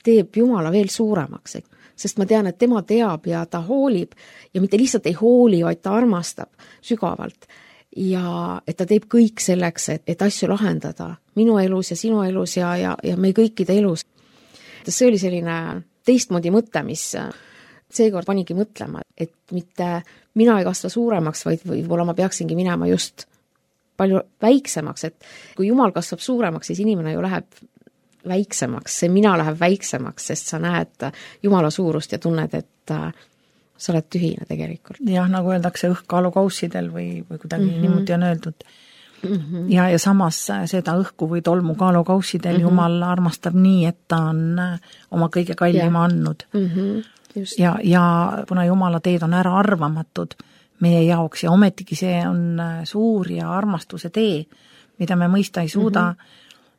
teeb Jumala veel suuremaks, sest ma tean, et tema teab ja ta hoolib ja mitte lihtsalt ei hooli, vaid ta armastab sügavalt ja et ta teeb kõik selleks, et asju lahendada minu elus ja sinu elus ja meie kõikide elus. See oli selline teistmoodi mõte, mis seekord panigi mõtlema, et mitte mina ei kasva suuremaks, vaid võib-olla ma peaksingi minema just palju väiksemaks, et kui Jumal kasvab suuremaks, siis inimene ju läheb väiksemaks, see mina läheb väiksemaks, sest sa näed Jumala suurust ja tunned, et sa oled tühine tegelikult. Jah, nagu öeldakse õhkkaalukaussidel või kuidagi niimoodi on öeldud. Ja samas seda õhku või tolmu kaalukausidel Jumal armastab nii, et ta on oma kõige kallima andnud. Ja kuna Jumala teed on ära arvamatud meie jaoks ja ometigi see on suur ja armastuse tee, mida me mõista ei suuda.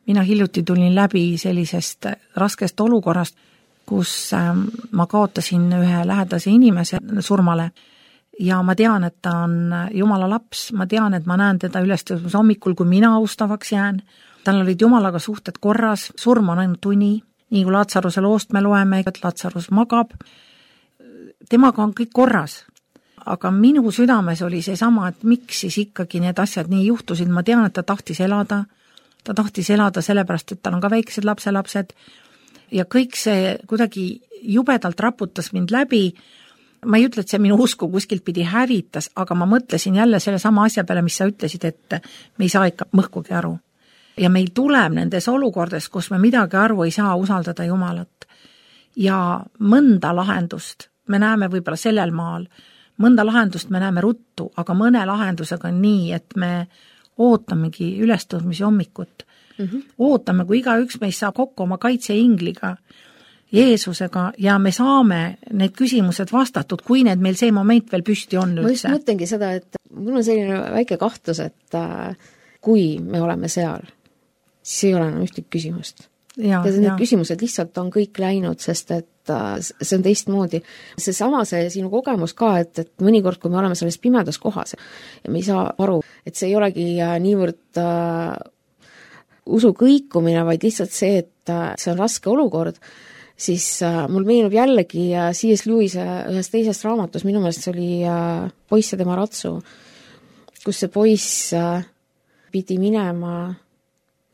Mina hiljuti tulin läbi sellisest raskest olukorrast, kus ma kaotasin ühe lähedase inimese surmale ja ma tean, et ta on Jumala laps, ma tean, et ma näen teda ülestõusmise hommikul, kui mina austavaks jään. Tal olid Jumalaga suhted korras, surm on ainult uni, nii kui Laatsaruse loost me loeme, et Laatsarus magab. Temaga on kõik korras, aga minu südames oli see sama, et miks siis ikkagi need asjad nii juhtusid, ma tean, et ta tahtis elada, ta tohtis elada sellepärast, et tal on ka väiksed lapselapsed ja kõik see kuidagi jubedalt raputas mind läbi. Ma ei ütle, et see minu usku kuskilt pidi hävitas, aga ma mõtlesin jälle selle sama asja peale, mis sa ütlesid, et me ei saa ikka mõhkugi aru. Ja meil tuleb nendes olukordades, kus me midagi aru ei saa, usaldada Jumalat. Ja mõnda lahendust me näeme võib-olla sellel maal, mõnda lahendust me näeme ruttu, aga mõne lahendusega on nii, et me ootamegi ülestõusmise hommikut. Ootame, kui igaüks meist saab kokku oma kaitseingliga, Jeesusega ja me saame need küsimused vastatud, kui need meil see moment veel püsti on üldse. Ma just mõtlengi seda, et mul on selline väike kahtlus, et kui me oleme seal, siis ei ole enam ühtegi küsimust. Ja need küsimused lihtsalt on kõik läinud, sest et see on teistmoodi. See sinu kogemus ka, et mõnikord, kui me oleme selles pimedas kohas ja me ei saa aru, et see ei olegi niivõrd usu kõikumine, vaid lihtsalt see, et see on raske olukord, siis mul meenub jällegi C.S. Lewise ühes teises raamatus, minu meelest see oli Poiss ja tema ratsu, kus see poiss pidi minema,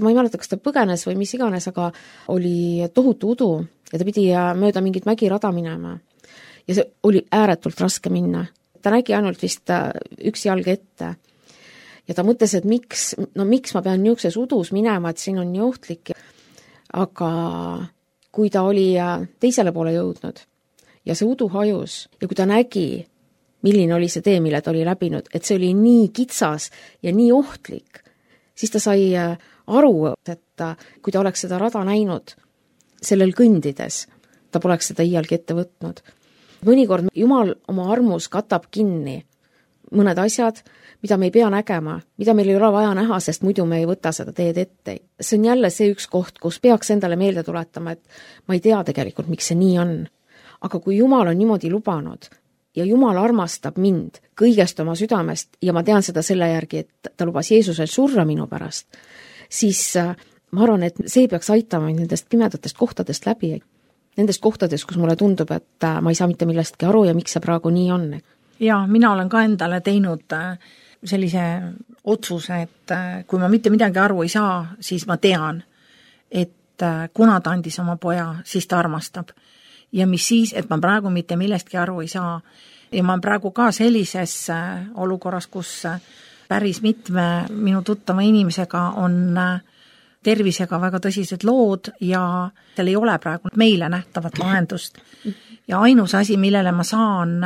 ma ei mäleta, kas ta põgenes või mis iganes, aga oli tohutu udu ja ta pidi mööda mingit mägirada minema. Ja see oli ääretult raske minna. Ta nägi ainult vist üks jalg ette. Ja ta mõtles, et miks ma pean niisuguses udus minema, et siin on nii ohtlik. Aga kui ta oli teisele poole jõudnud ja see udu hajus ja kui ta nägi, milline oli see tee, mille ta oli läbinud, et see oli nii kitsas ja nii ohtlik, siis ta sai aru, et kui ta oleks seda rada näinud sellel kõndides, ta poleks seda iialgi ette võtnud. Mõnikord Jumal oma armus katab kinni mõned asjad, mida me ei pea nägema, mida meil ei ole vaja näha, sest muidu me ei võta seda teed ette. See on jälle see üks koht, kus peaks endale meelde tuletama, et ma ei tea tegelikult, miks see nii on. Aga kui Jumal on niimoodi lubanud ja Jumal armastab mind kõigest oma südamest ja ma tean seda selle järgi, et ta lubas Jeesusel surra minu pärast, siis ma arvan, et see peaks aitama nendest pimedatest kohtadest läbi. Nendest kohtadest, kus mulle tundub, et ma ei saa mitte millestki aru ja miks see praegu nii on. Ja mina olen ka endale teinud sellise otsuse, et kui ma mitte midagi aru ei saa, siis ma tean, et kuna ta andis oma poja, siis ta armastab. Ja mis siis, et ma praegu mitte millestki aru ei saa. Ja ma praegu ka sellises olukorras, kus päris mitme minu tuttava inimesega on tervisega väga tõsised lood ja seal ei ole praegu meile nähtavat lahendust. Ja ainus asi, millele ma saan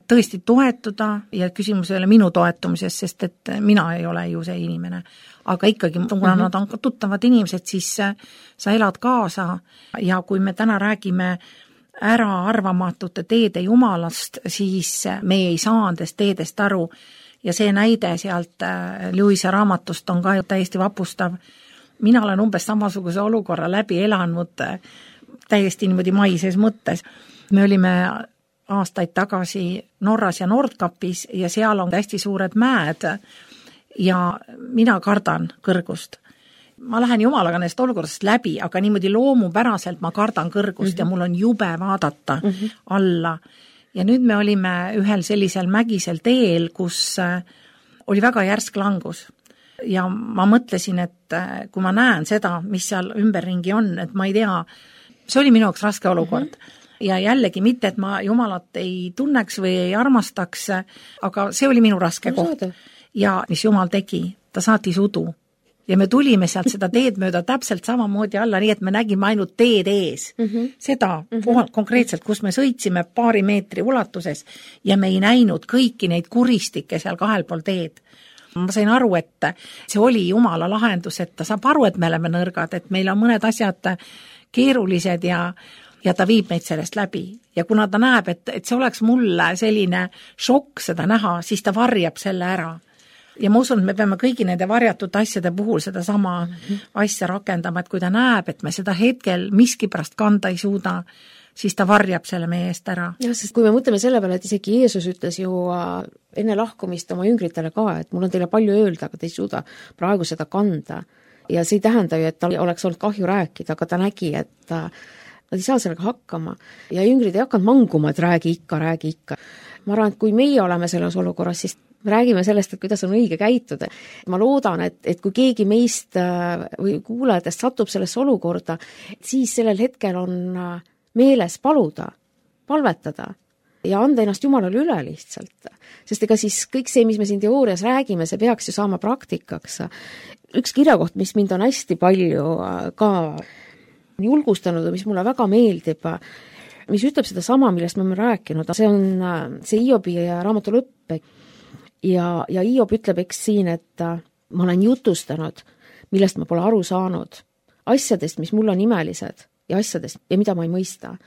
tõesti toetuda ja küsimus ei ole minu toetumises, sest et mina ei ole ju see inimene. Aga ikkagi, kuna nad on tuttavad inimesed, siis sa elad kaasa ja kui me täna räägime äraarvamatute teede Jumalast, siis me ei saa nendest teedest aru ja see näide sealt Lewise raamatust on ka täiesti vapustav. Mina olen umbes samasuguse olukorra läbi elanud täiesti niimoodi maises mõttes. Me olime aastaid tagasi Norras ja Nordkapis ja seal on hästi suured mäed ja mina kardan kõrgust. Ma lähen Jumalaga nendest olukorrast läbi, aga niimoodi loomupäraselt ma kardan kõrgust ja mul on jube vaadata alla. Ja nüüd me olime ühel sellisel mägisel teel, kus oli väga järsk langus. Ja ma mõtlesin, et kui ma näen seda, mis seal ümberringi on, et ma ei tea, see oli minu jaoks raske olukord. Ja jällegi mitte, et ma Jumalat ei tunneks või ei armastaks, aga see oli minu raske koht. Ja mis Jumal tegi, ta saatis udu. Ja me tulime sealt seda teed mööda täpselt samamoodi alla, nii et me nägime ainult teed ees. Seda konkreetselt, kus me sõitsime paari meetri ulatuses ja me ei näinud kõiki neid kuristikke seal kahel pool teed. Ma sain aru, et see oli Jumala lahendus, et ta saab aru, et me oleme nõrgad, et meil on mõned asjad keerulised ja ta viib meid sellest läbi. Ja kuna ta näeb, et see oleks mulle selline šokk seda näha, siis ta varjab selle ära. Ja ma usun, et me peame kõigi nende varjatud asjade puhul seda sama asja rakendama, et kui ta näeb, et me seda hetkel miskipärast kanda ei suuda, siis ta varjab selle meie eest ära. Ja, sest kui me mõtleme selle peale, et isegi Jeesus ütles ju enne lahkumist oma jüngritele ka, et mul on teile palju öelda, aga te ei suuda praegu seda kanda. Ja see ei tähenda ju, et tal oleks olnud kahju rääkida, aga ta nägi, et nad ei saa sellega hakkama. Ja jüngrid ei hakanud manguma, et räägi ikka. Ma arvan, et kui meie oleme selles olukorras, siis me räägime sellest, et kuidas on õige käituda. Ma loodan, et kui keegi meist või kuulajatest satub sellesse olukorda, siis sellel hetkel on meeles paluda, palvetada ja anda ennast Jumalale üle lihtsalt. Sest ega siis kõik see, mis me siin teoorias räägime, see peaks ju saama praktikaks. Üks kirjakoht, mis mind on hästi palju ka julgustanud ja mis mulle väga meeldib, mis ütleb seda sama, millest me oleme rääkinud, see on see Hiobi raamatu lõpp. Ja Hiob ütleb eks siin, et ma olen jutustanud, millest ma pole aru saanud, asjadest, mis mulle on imelised ja asjadest, ja mida ma ei mõista.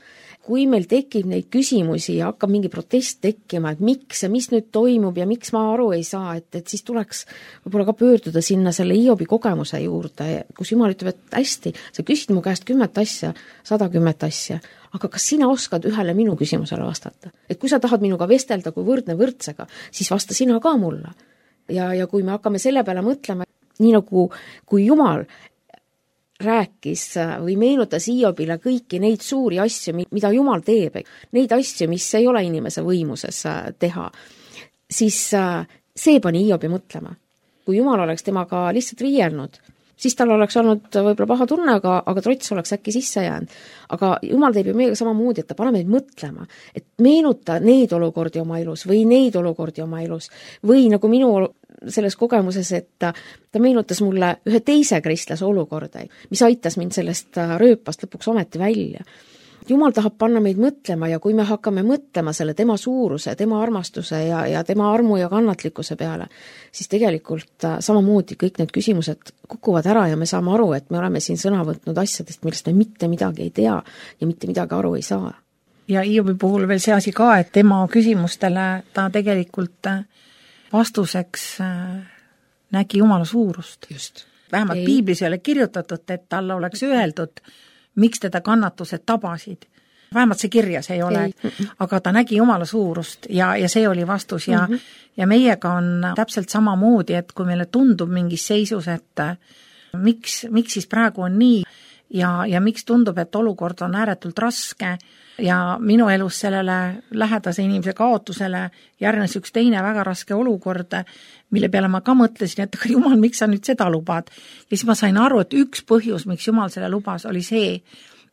Kui meil tekib neid küsimusi ja hakkab mingi protest tekkima, et miks ja mis nüüd toimub ja miks ma aru ei saa, et siis tuleks võib-olla ka pöörduda sinna selle Hiobi kogemuse juurde, kus Jumal ütleb, et hästi, sa küsid mu käest 10 asja, 110 asja, aga kas sina oskad ühele minu küsimusele vastata? Et kui sa tahad minuga vestelda kui võrdne võrdsega, siis vasta sina ka mulle. Ja kui me hakkame selle peale mõtlema, nii nagu kui Jumal rääkis või meenutas Hiobile kõiki neid suuri asju, mida Jumal teeb, neid asju, mis ei ole inimese võimuses teha, siis see pani Hiobi mõtlema. Kui Jumal oleks temaga lihtsalt riielnud, siis tal oleks olnud võib-olla paha tunne, aga trots oleks äkki sisse jäänud. Aga Jumal teeb ju meiega samamoodi, et ta paneb meid mõtlema, et meenuta neid olukordi oma elus või neid olukordi oma elus või nagu minu selles kogemuses, et ta meenutas mulle ühe teise kristlase olukorda, mis aitas mind sellest rööpast lõpuks ometi välja. Jumal tahab panna meid mõtlema ja kui me hakkame mõtlema selle tema suuruse, tema armastuse ja tema armu ja kannatlikkuse peale, siis tegelikult samamoodi kõik need küsimused kukuvad ära ja me saame aru, et me oleme siin sõna võtnud asjadest, millest me mitte midagi ei tea ja mitte midagi aru ei saa. Ja Hiobi puhul veel see asi ka, et tema küsimustele ta tegelikult vastuseks nägi Jumala suurust. Just. Vähemalt Piiblis ei ole kirjutatud, et talle oleks öeldud, miks teda kannatused tabasid. Vähemalt see kirjas ei ole, aga ta nägi Jumala suurust ja see oli vastus ja meiega on täpselt samamoodi, et kui meile tundub mingis seisus, et miks siis praegu on nii ja miks tundub, et olukord on ääretult raske ja minu elus sellele lähedase inimese kaotusele järgnes üks teine väga raske olukord, mille peale ma ka mõtlesin, et Jumal, miks sa nüüd seda lubad? Ja siis ma sain aru, et üks põhjus, miks Jumal selle lubas, oli see,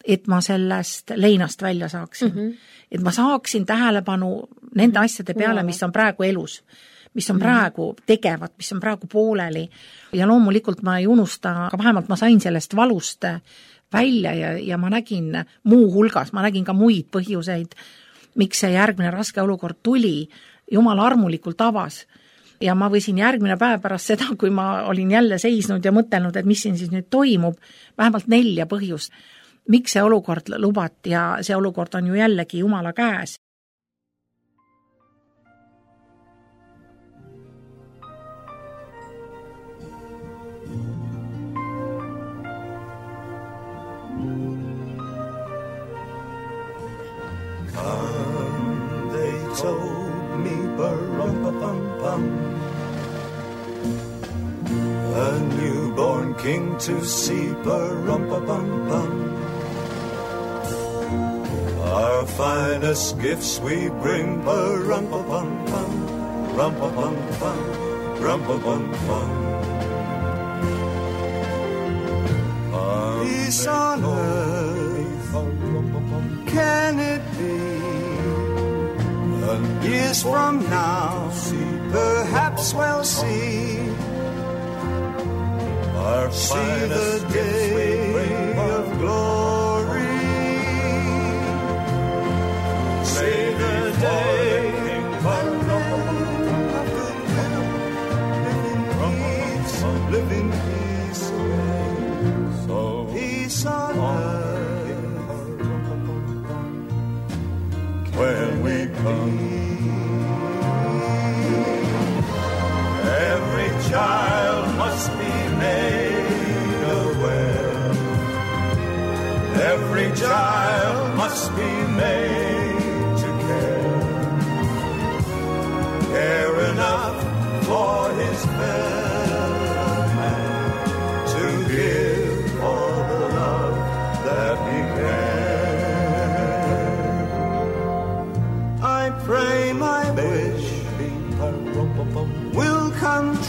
et ma sellest leinast välja saaksin. Et ma saaksin tähelepanu nende asjade peale, mis on praegu elus, mis on praegu tegevad, mis on praegu pooleli. Ja loomulikult ma ei unusta, aga vähemalt ma sain sellest valust välja ja ma nägin muu hulgas, ma nägin ka muid põhjuseid, miks see järgmine raske olukord tuli. Jumal armulikult avas. Ja ma võisin järgmine päev pärast seda, kui ma olin jälle seisnud ja mõtelnud, et mis siin siis nüüd toimub, vähemalt 4 põhjust, miks see olukord lubati ja see olukord on ju jällegi Jumala käes. They told me ba-rum-pa-pum-pum, a newborn king to see, ba-rum-pa-pum-pum. Our finest gifts we bring, ba-rum-pa-pum-pum, rum-pa-pum-pum, rum-pa-pum-pum. Peace on earth, can it be? Years from now, perhaps we'll see the day of glory. See the day of living peace, so peace on earth when we come. Every child must be made aware. Every child must be made to care enough for his fellow man, to give all the love that he can. I pray my wish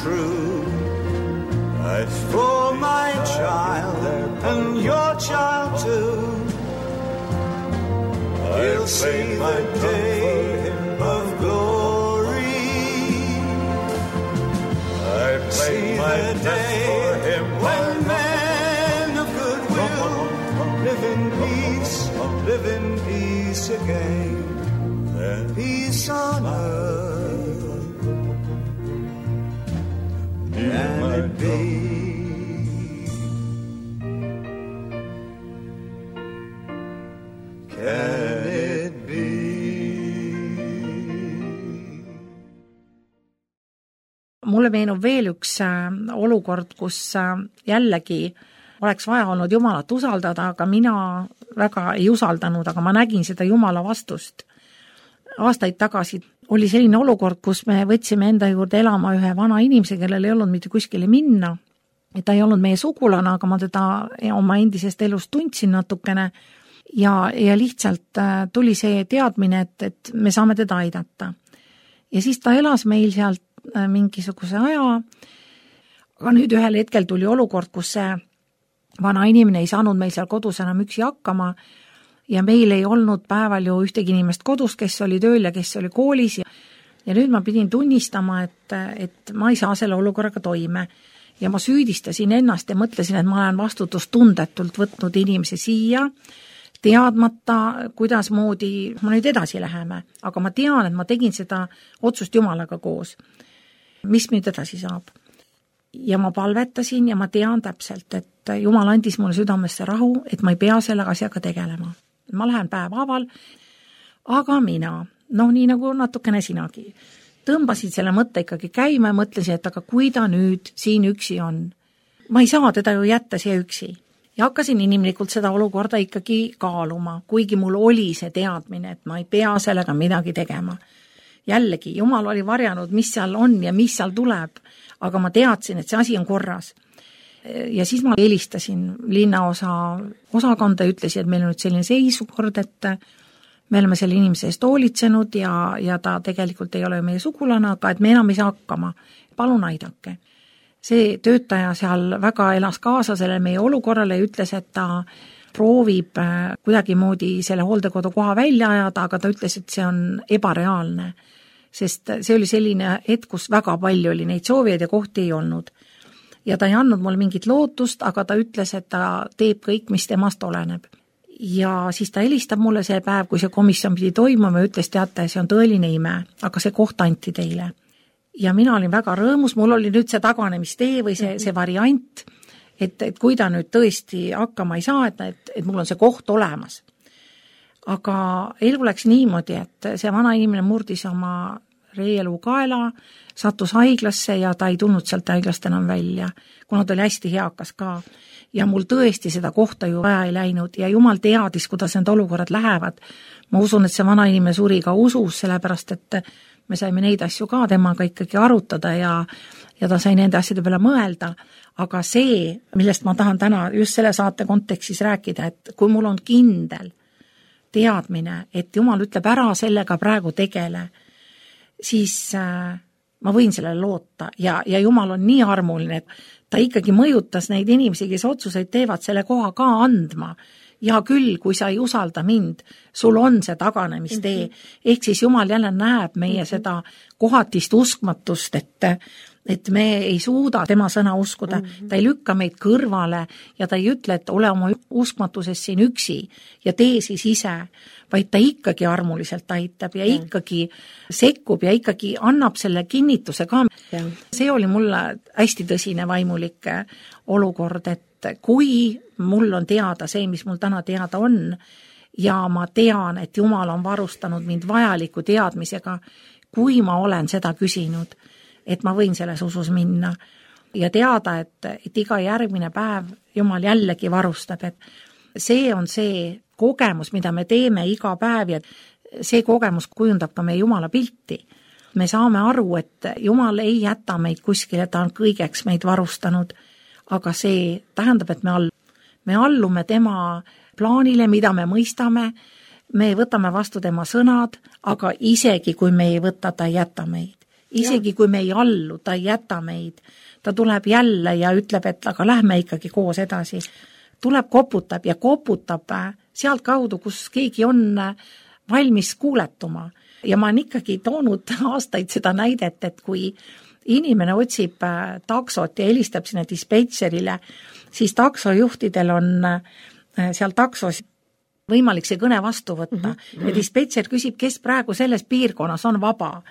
true. As for my child and your child too, he'll see the day of glory. I see the day when men of goodwill live in peace again. There peace on earth, can it be? Can it be? Mulle meenub veel üks olukord, kus jällegi oleks vaja olnud Jumalat usaldada, aga mina väga ei usaldanud, aga ma nägin seda Jumala vastust. Aastaid tagasi oli selline olukord, kus me võtsime enda juurde elama ühe vana inimese, kellel ei olnud mitte kuskile minna. Et ta ei olnud meie sugulane, aga ma teda oma endisest elust tundsin natukene ja lihtsalt tuli see teadmine, et me saame teda aidata. Ja siis ta elas meil sealt mingisuguse aja, aga nüüd ühel hetkel tuli olukord, kus see vana inimene ei saanud meil seal kodus enam üksi hakkama ja meil ei olnud päeval ju ühtegi inimest kodus, kes oli tööl ja kes oli koolis ja nüüd ma pidin tunnistama, et ma ei saa selle olukorraga toime ja ma süüdistasin ennast ja mõtlesin, et ma olen vastutustundetult võtnud inimese siia, teadmata, kuidas moodi ma nüüd edasi läheme, aga ma tean, et ma tegin seda otsust Jumalaga koos. Mis nüüd edasi saab? Ja ma palvetasin ja ma tean täpselt, et Jumal andis mulle südamesse rahu, et ma ei pea selle asjaga tegelema. Ma lähen päevaaval, aga mina, nii nagu natukene sinagi, tõmbasin selle mõtte ikkagi käima ja mõtlesin, et aga kui ta nüüd siin üksi on, ma ei saa teda ju jätta siia üksi. Ja hakkasin inimlikult seda olukorda ikkagi kaaluma, kuigi mul oli see teadmine, et ma ei pea sellega midagi tegema. Jällegi, Jumal oli varjanud, mis seal on ja mis seal tuleb, aga ma teadsin, et see asi on korras. Ja siis ma helistasin linnaosa osakonda ja ütlesin, et meil on nüüd selline seisukord, et me oleme selle inimese eest hoolitsenud ja ta tegelikult ei ole meie sugulane, aga et me enam ei saa hakkama. Palun aidake. See töötaja seal väga elas kaasa selle meie olukorrale ja ütles, et ta proovib kuidagimoodi selle hooldekodu koha välja ajada, aga ta ütles, et see on ebareaalne, sest see oli selline hetk, kus väga palju oli neid soovijaid ja kohti ei olnud. Ja ta ei andnud mulle mingit lootust, aga ta ütles, et ta teeb kõik, mis temast oleneb. Ja siis ta helistab mulle see päev, kui see komisjon pidi toimuma ja ütles, teate, see on tõeline ime, aga see koht anti teile. Ja mina olin väga rõõmus, mul oli nüüd see taganemistee või see variant, et kui ta nüüd tõesti hakkama ei saa, et mul on see koht olemas. Aga elu läks niimoodi, et see vana inimene murdis oma reeluu kaela, sattus haiglasse ja ta ei tulnud sealt haiglast enam välja, kuna ta oli hästi heakas ka. Ja mul tõesti seda kohta ju vaja ei läinud ja Jumal teadis, kuidas need olukorrad lähevad. Ma usun, et see vana inimene suri ka usus, sellepärast et me saime neid asju ka temaga ikkagi arutada ja ta sai nende asjade peale mõelda. Aga see, millest ma tahan täna just selle saate kontekstis rääkida, et kui mul on kindel teadmine, et Jumal ütleb ära sellega praegu tegele, siis ma võin sellele loota ja Jumal on nii armuline, et ta ikkagi mõjutas neid inimesi, kes otsuseid teevad selle koha ka andma. Ja küll, kui sa ei usalda mind, sul on see taganemistee. Ehk siis Jumal jälle näeb meie seda kohatist uskmatust, et me ei suuda tema sõna uskuda. Ta ei lükka meid kõrvale ja ta ei ütle, et ole oma uskmatuses siin üksi ja tee siis ise, vaid ta ikkagi armuliselt aitab ja ikkagi sekkub ja ikkagi annab selle kinnituse ka. See oli mulle hästi tõsine vaimulik olukord, et kui mul on teada see, mis mul täna teada on ja ma tean, et Jumal on varustanud mind vajaliku teadmisega, kui ma olen seda küsinud, et ma võin selles usus minna ja teada, et iga järgmine päev Jumal jällegi varustab, et see on see kogemus, mida me teeme iga päev ja see kogemus kujundab ka meie Jumala pilti. Me saame aru, et Jumal ei jäta meid kuskile, ta on kõigeks meid varustanud, aga see tähendab, et me allume tema plaanile, mida me mõistame, me võtame vastu tema sõnad, aga isegi kui me ei võta, ta ei jäta meid. isegi kui me ei allu, ta ei jäta meid, ta tuleb jälle ja ütleb, et aga lähme ikkagi koos edasi. Tuleb, koputab ja koputab sealt kaudu, kus keegi on valmis kuuletuma. Ja ma olen ikkagi toonud aastaid seda näidet, et kui inimene otsib taksot ja helistab sinna dispetšerile, siis taksojuhtidel on seal taksos võimalik see kõne vastu võtta. Ja dispetšer küsib, kes praegu selles piirkonnas on vaba.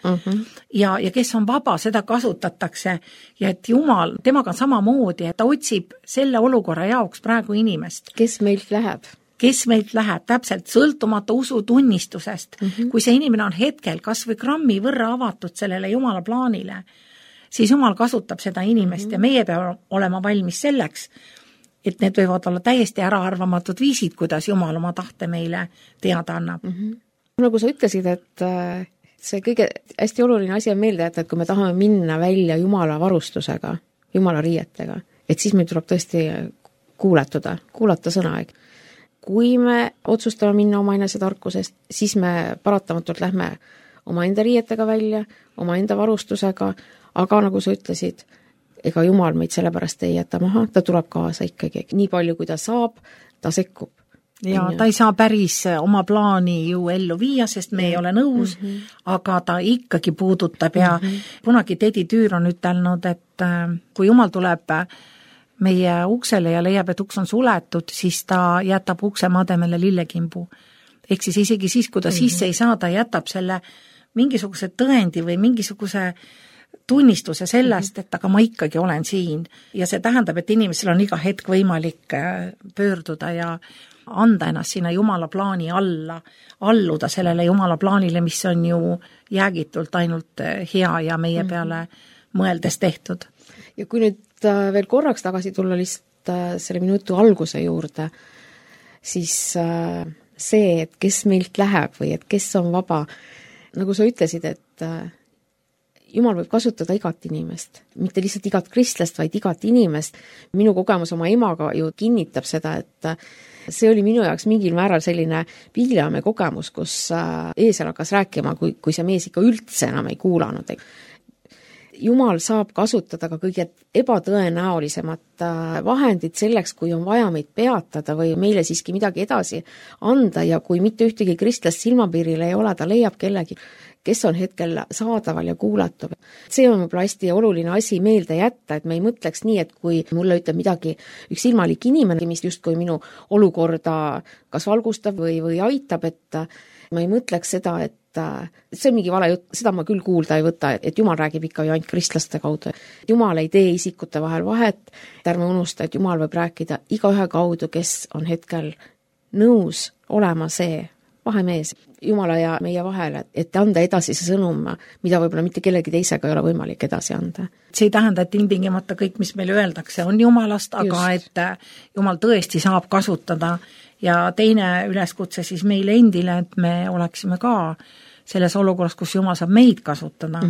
Ja kes on vaba, seda kasutatakse. Ja et Jumal, temaga on samamoodi, et ta otsib selle olukorra jaoks praegu inimest. Kes meilt läheb? Kes meilt läheb, täpselt sõltumata usutunnistusest. Kui see inimene on hetkel kas või grammi võrra avatud sellele Jumala plaanile, siis Jumal kasutab seda inimest ja meie peame olema valmis selleks, et need võivad olla täiesti äraarvamatud viisid, kuidas Jumal oma tahte meile teada annab. Nagu sa ütlesid, et see kõige hästi oluline asi on meelde jätta, et kui me tahame minna välja Jumala varustusega, Jumala riietega, et siis meil tuleb tõesti kuulata sõna. Kui me otsustame minna oma enesetarkusest, siis me paratamatult lähme oma enda riietega välja, oma enda varustusega, aga nagu sa ütlesid, ega Jumal meid sellepärast ei jäta maha, ta tuleb kaasa ikkagi. Nii palju, kui ta saab, ta sekkub. Ja ta ei saa päris oma plaani ju ellu viia, sest me ei ole nõus, aga ta ikkagi puudutab ja kunagi Tedi Tüür on ütelnud, et kui Jumal tuleb meie uksele ja leiab, et uks on suletud, siis ta jätab ukse mademele lillekimbu. Ehk siis isegi siis, kui ta sisse ei saa, ta jätab selle mingisuguse tõendi või mingisuguse tunnistuse sellest, et aga ma ikkagi olen siin. Ja see tähendab, et inimesel on iga hetk võimalik pöörduda ja anda ennast sinna Jumala plaani alla, alluda sellele Jumala plaanile, mis on ju jäägitult ainult hea ja meie peale mõeldes tehtud. Ja kui nüüd veel korraks tagasi tulla lihtsalt selle minutu alguse juurde, siis see, et kes meilt läheb või et kes on vaba, nagu sa ütlesid, et Jumal võib kasutada igat inimest, mitte lihtsalt igat kristlast, vaid igat inimest. Minu kogemus oma emaga ju kinnitab seda, et see oli minu jaoks mingil määral selline Piileamme kogemus, kus eesel hakkas rääkima, kui see mees ikka üldse enam ei kuulanud. Jumal saab kasutada ka kõige ebatõenäolisemat vahendit selleks, kui on vaja meid peatada või meile siiski midagi edasi anda ja kui mitte ühtegi kristlast silmapiiril ei ole, ta leiab kellegi, kes on hetkel saadaval ja kuulatav. See on võib-olla hästi oluline asi meelde jätta, et me ei mõtleks nii, et kui mulle ütleb midagi üks ilmalik inimene, mis justkui minu olukorda kas valgustab või aitab, et ma ei mõtleks seda, et see on mingi vale jutt, seda ma küll kuulda ei võta, et Jumal räägib ikka ju ainult kristlaste kaudu. Jumal ei tee isikute vahel vahet, ärme unusta, et Jumal võib rääkida igaühe kaudu, kes on hetkel nõus olema see vahemees Jumala ja meie vahel, et anda edasi see sõnum, mida võib-olla mitte kellegi teisega ei ole võimalik edasi anda. See ei tähenda, et ilmtingimata kõik, mis meile öeldakse, on Jumalast, aga just. Et Jumal tõesti saab kasutada ja teine üleskutse siis meile endile, et me oleksime ka selles olukorras, kus Jumal saab meid kasutada,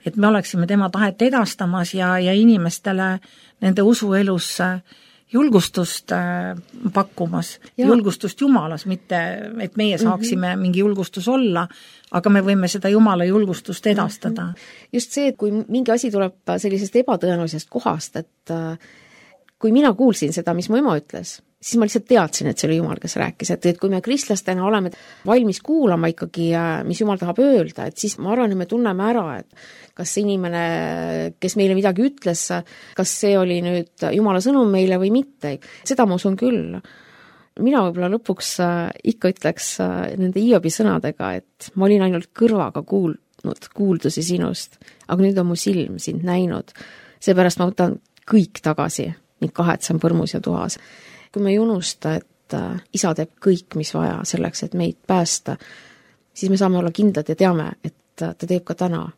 et me oleksime tema tahet edastamas ja inimestele nende usuelus julgustust pakkumas, julgustust Jumalas, mitte et meie saaksime mingi julgustus olla, aga me võime seda Jumala julgustust edastada. Just see, et kui mingi asi tuleb sellisest ebatõenäolisest kohast, et kui mina kuulsin seda, mis mu ema ütles, siis ma lihtsalt teadsin, et see oli Jumal, kes rääkis, et kui me kristlastena oleme valmis kuulama ikkagi, mis Jumal tahab öelda, et siis ma arvan, et me tunneme ära, et kas inimene, kes meile midagi ütles, kas see oli nüüd Jumala sõnum meile või mitte. Seda ma usun küll. Mina võib-olla lõpuks ikka ütleks nende Hiobi sõnadega, et ma olin ainult kõrvaga kuuldusi sinust, aga nüüd on mu silm sind näinud. Seepärast ma võtan kõik tagasi ning kahetsem põrmus ja tuhas. Kui me ei unusta, et isa teeb kõik, mis vaja selleks, et meid päästa, siis me saame olla kindlad ja teame, et ta teeb ka täna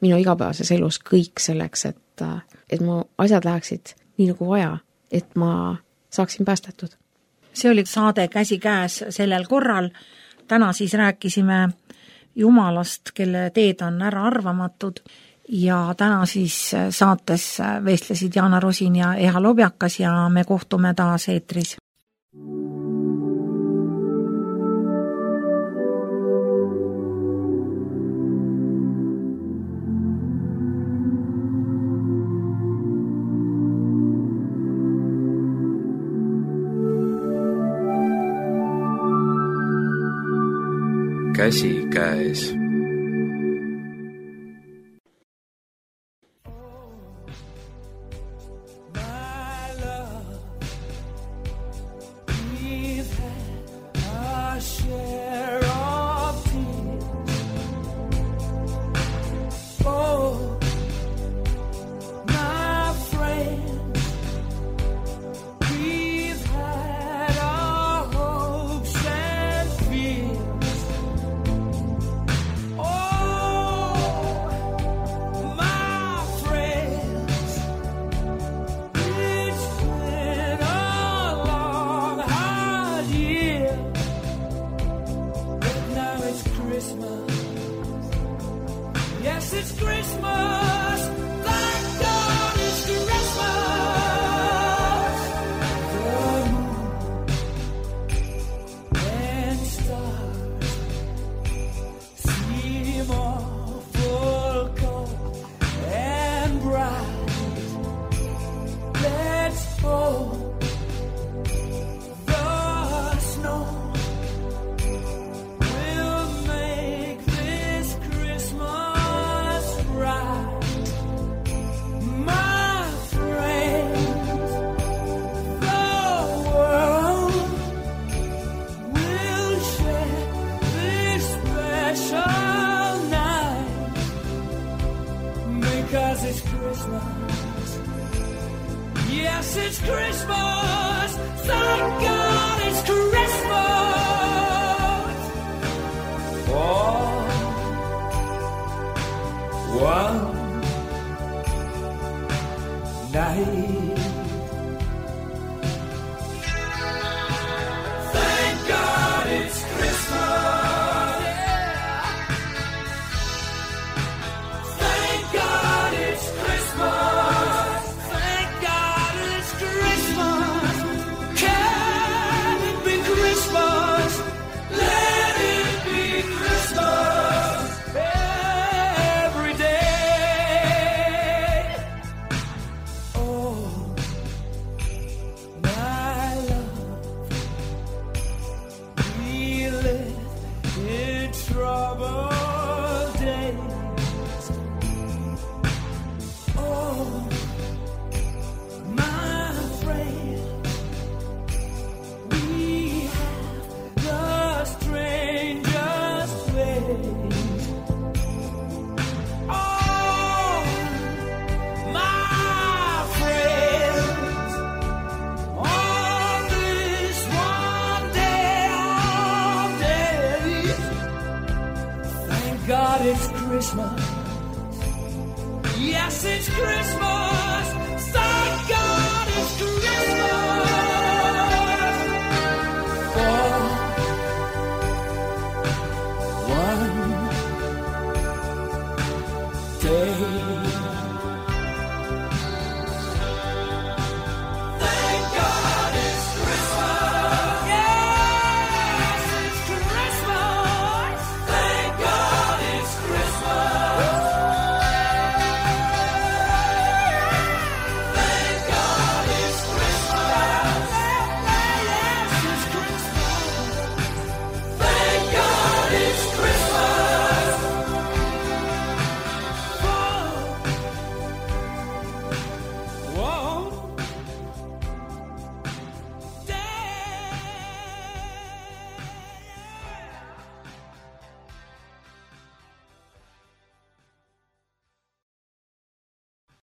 minu igapäevases elus kõik selleks, et mu asjad läheksid nii nagu vaja, et ma saaksin päästetud. See oli saade Käsikäes sellel korral. Täna siis rääkisime Jumalast, kelle teed on ära arvamatud ja täna siis saates vestlesid Jaana Rosin ja Eha Lobjakas ja me kohtume taas eetris. käsikäes. Day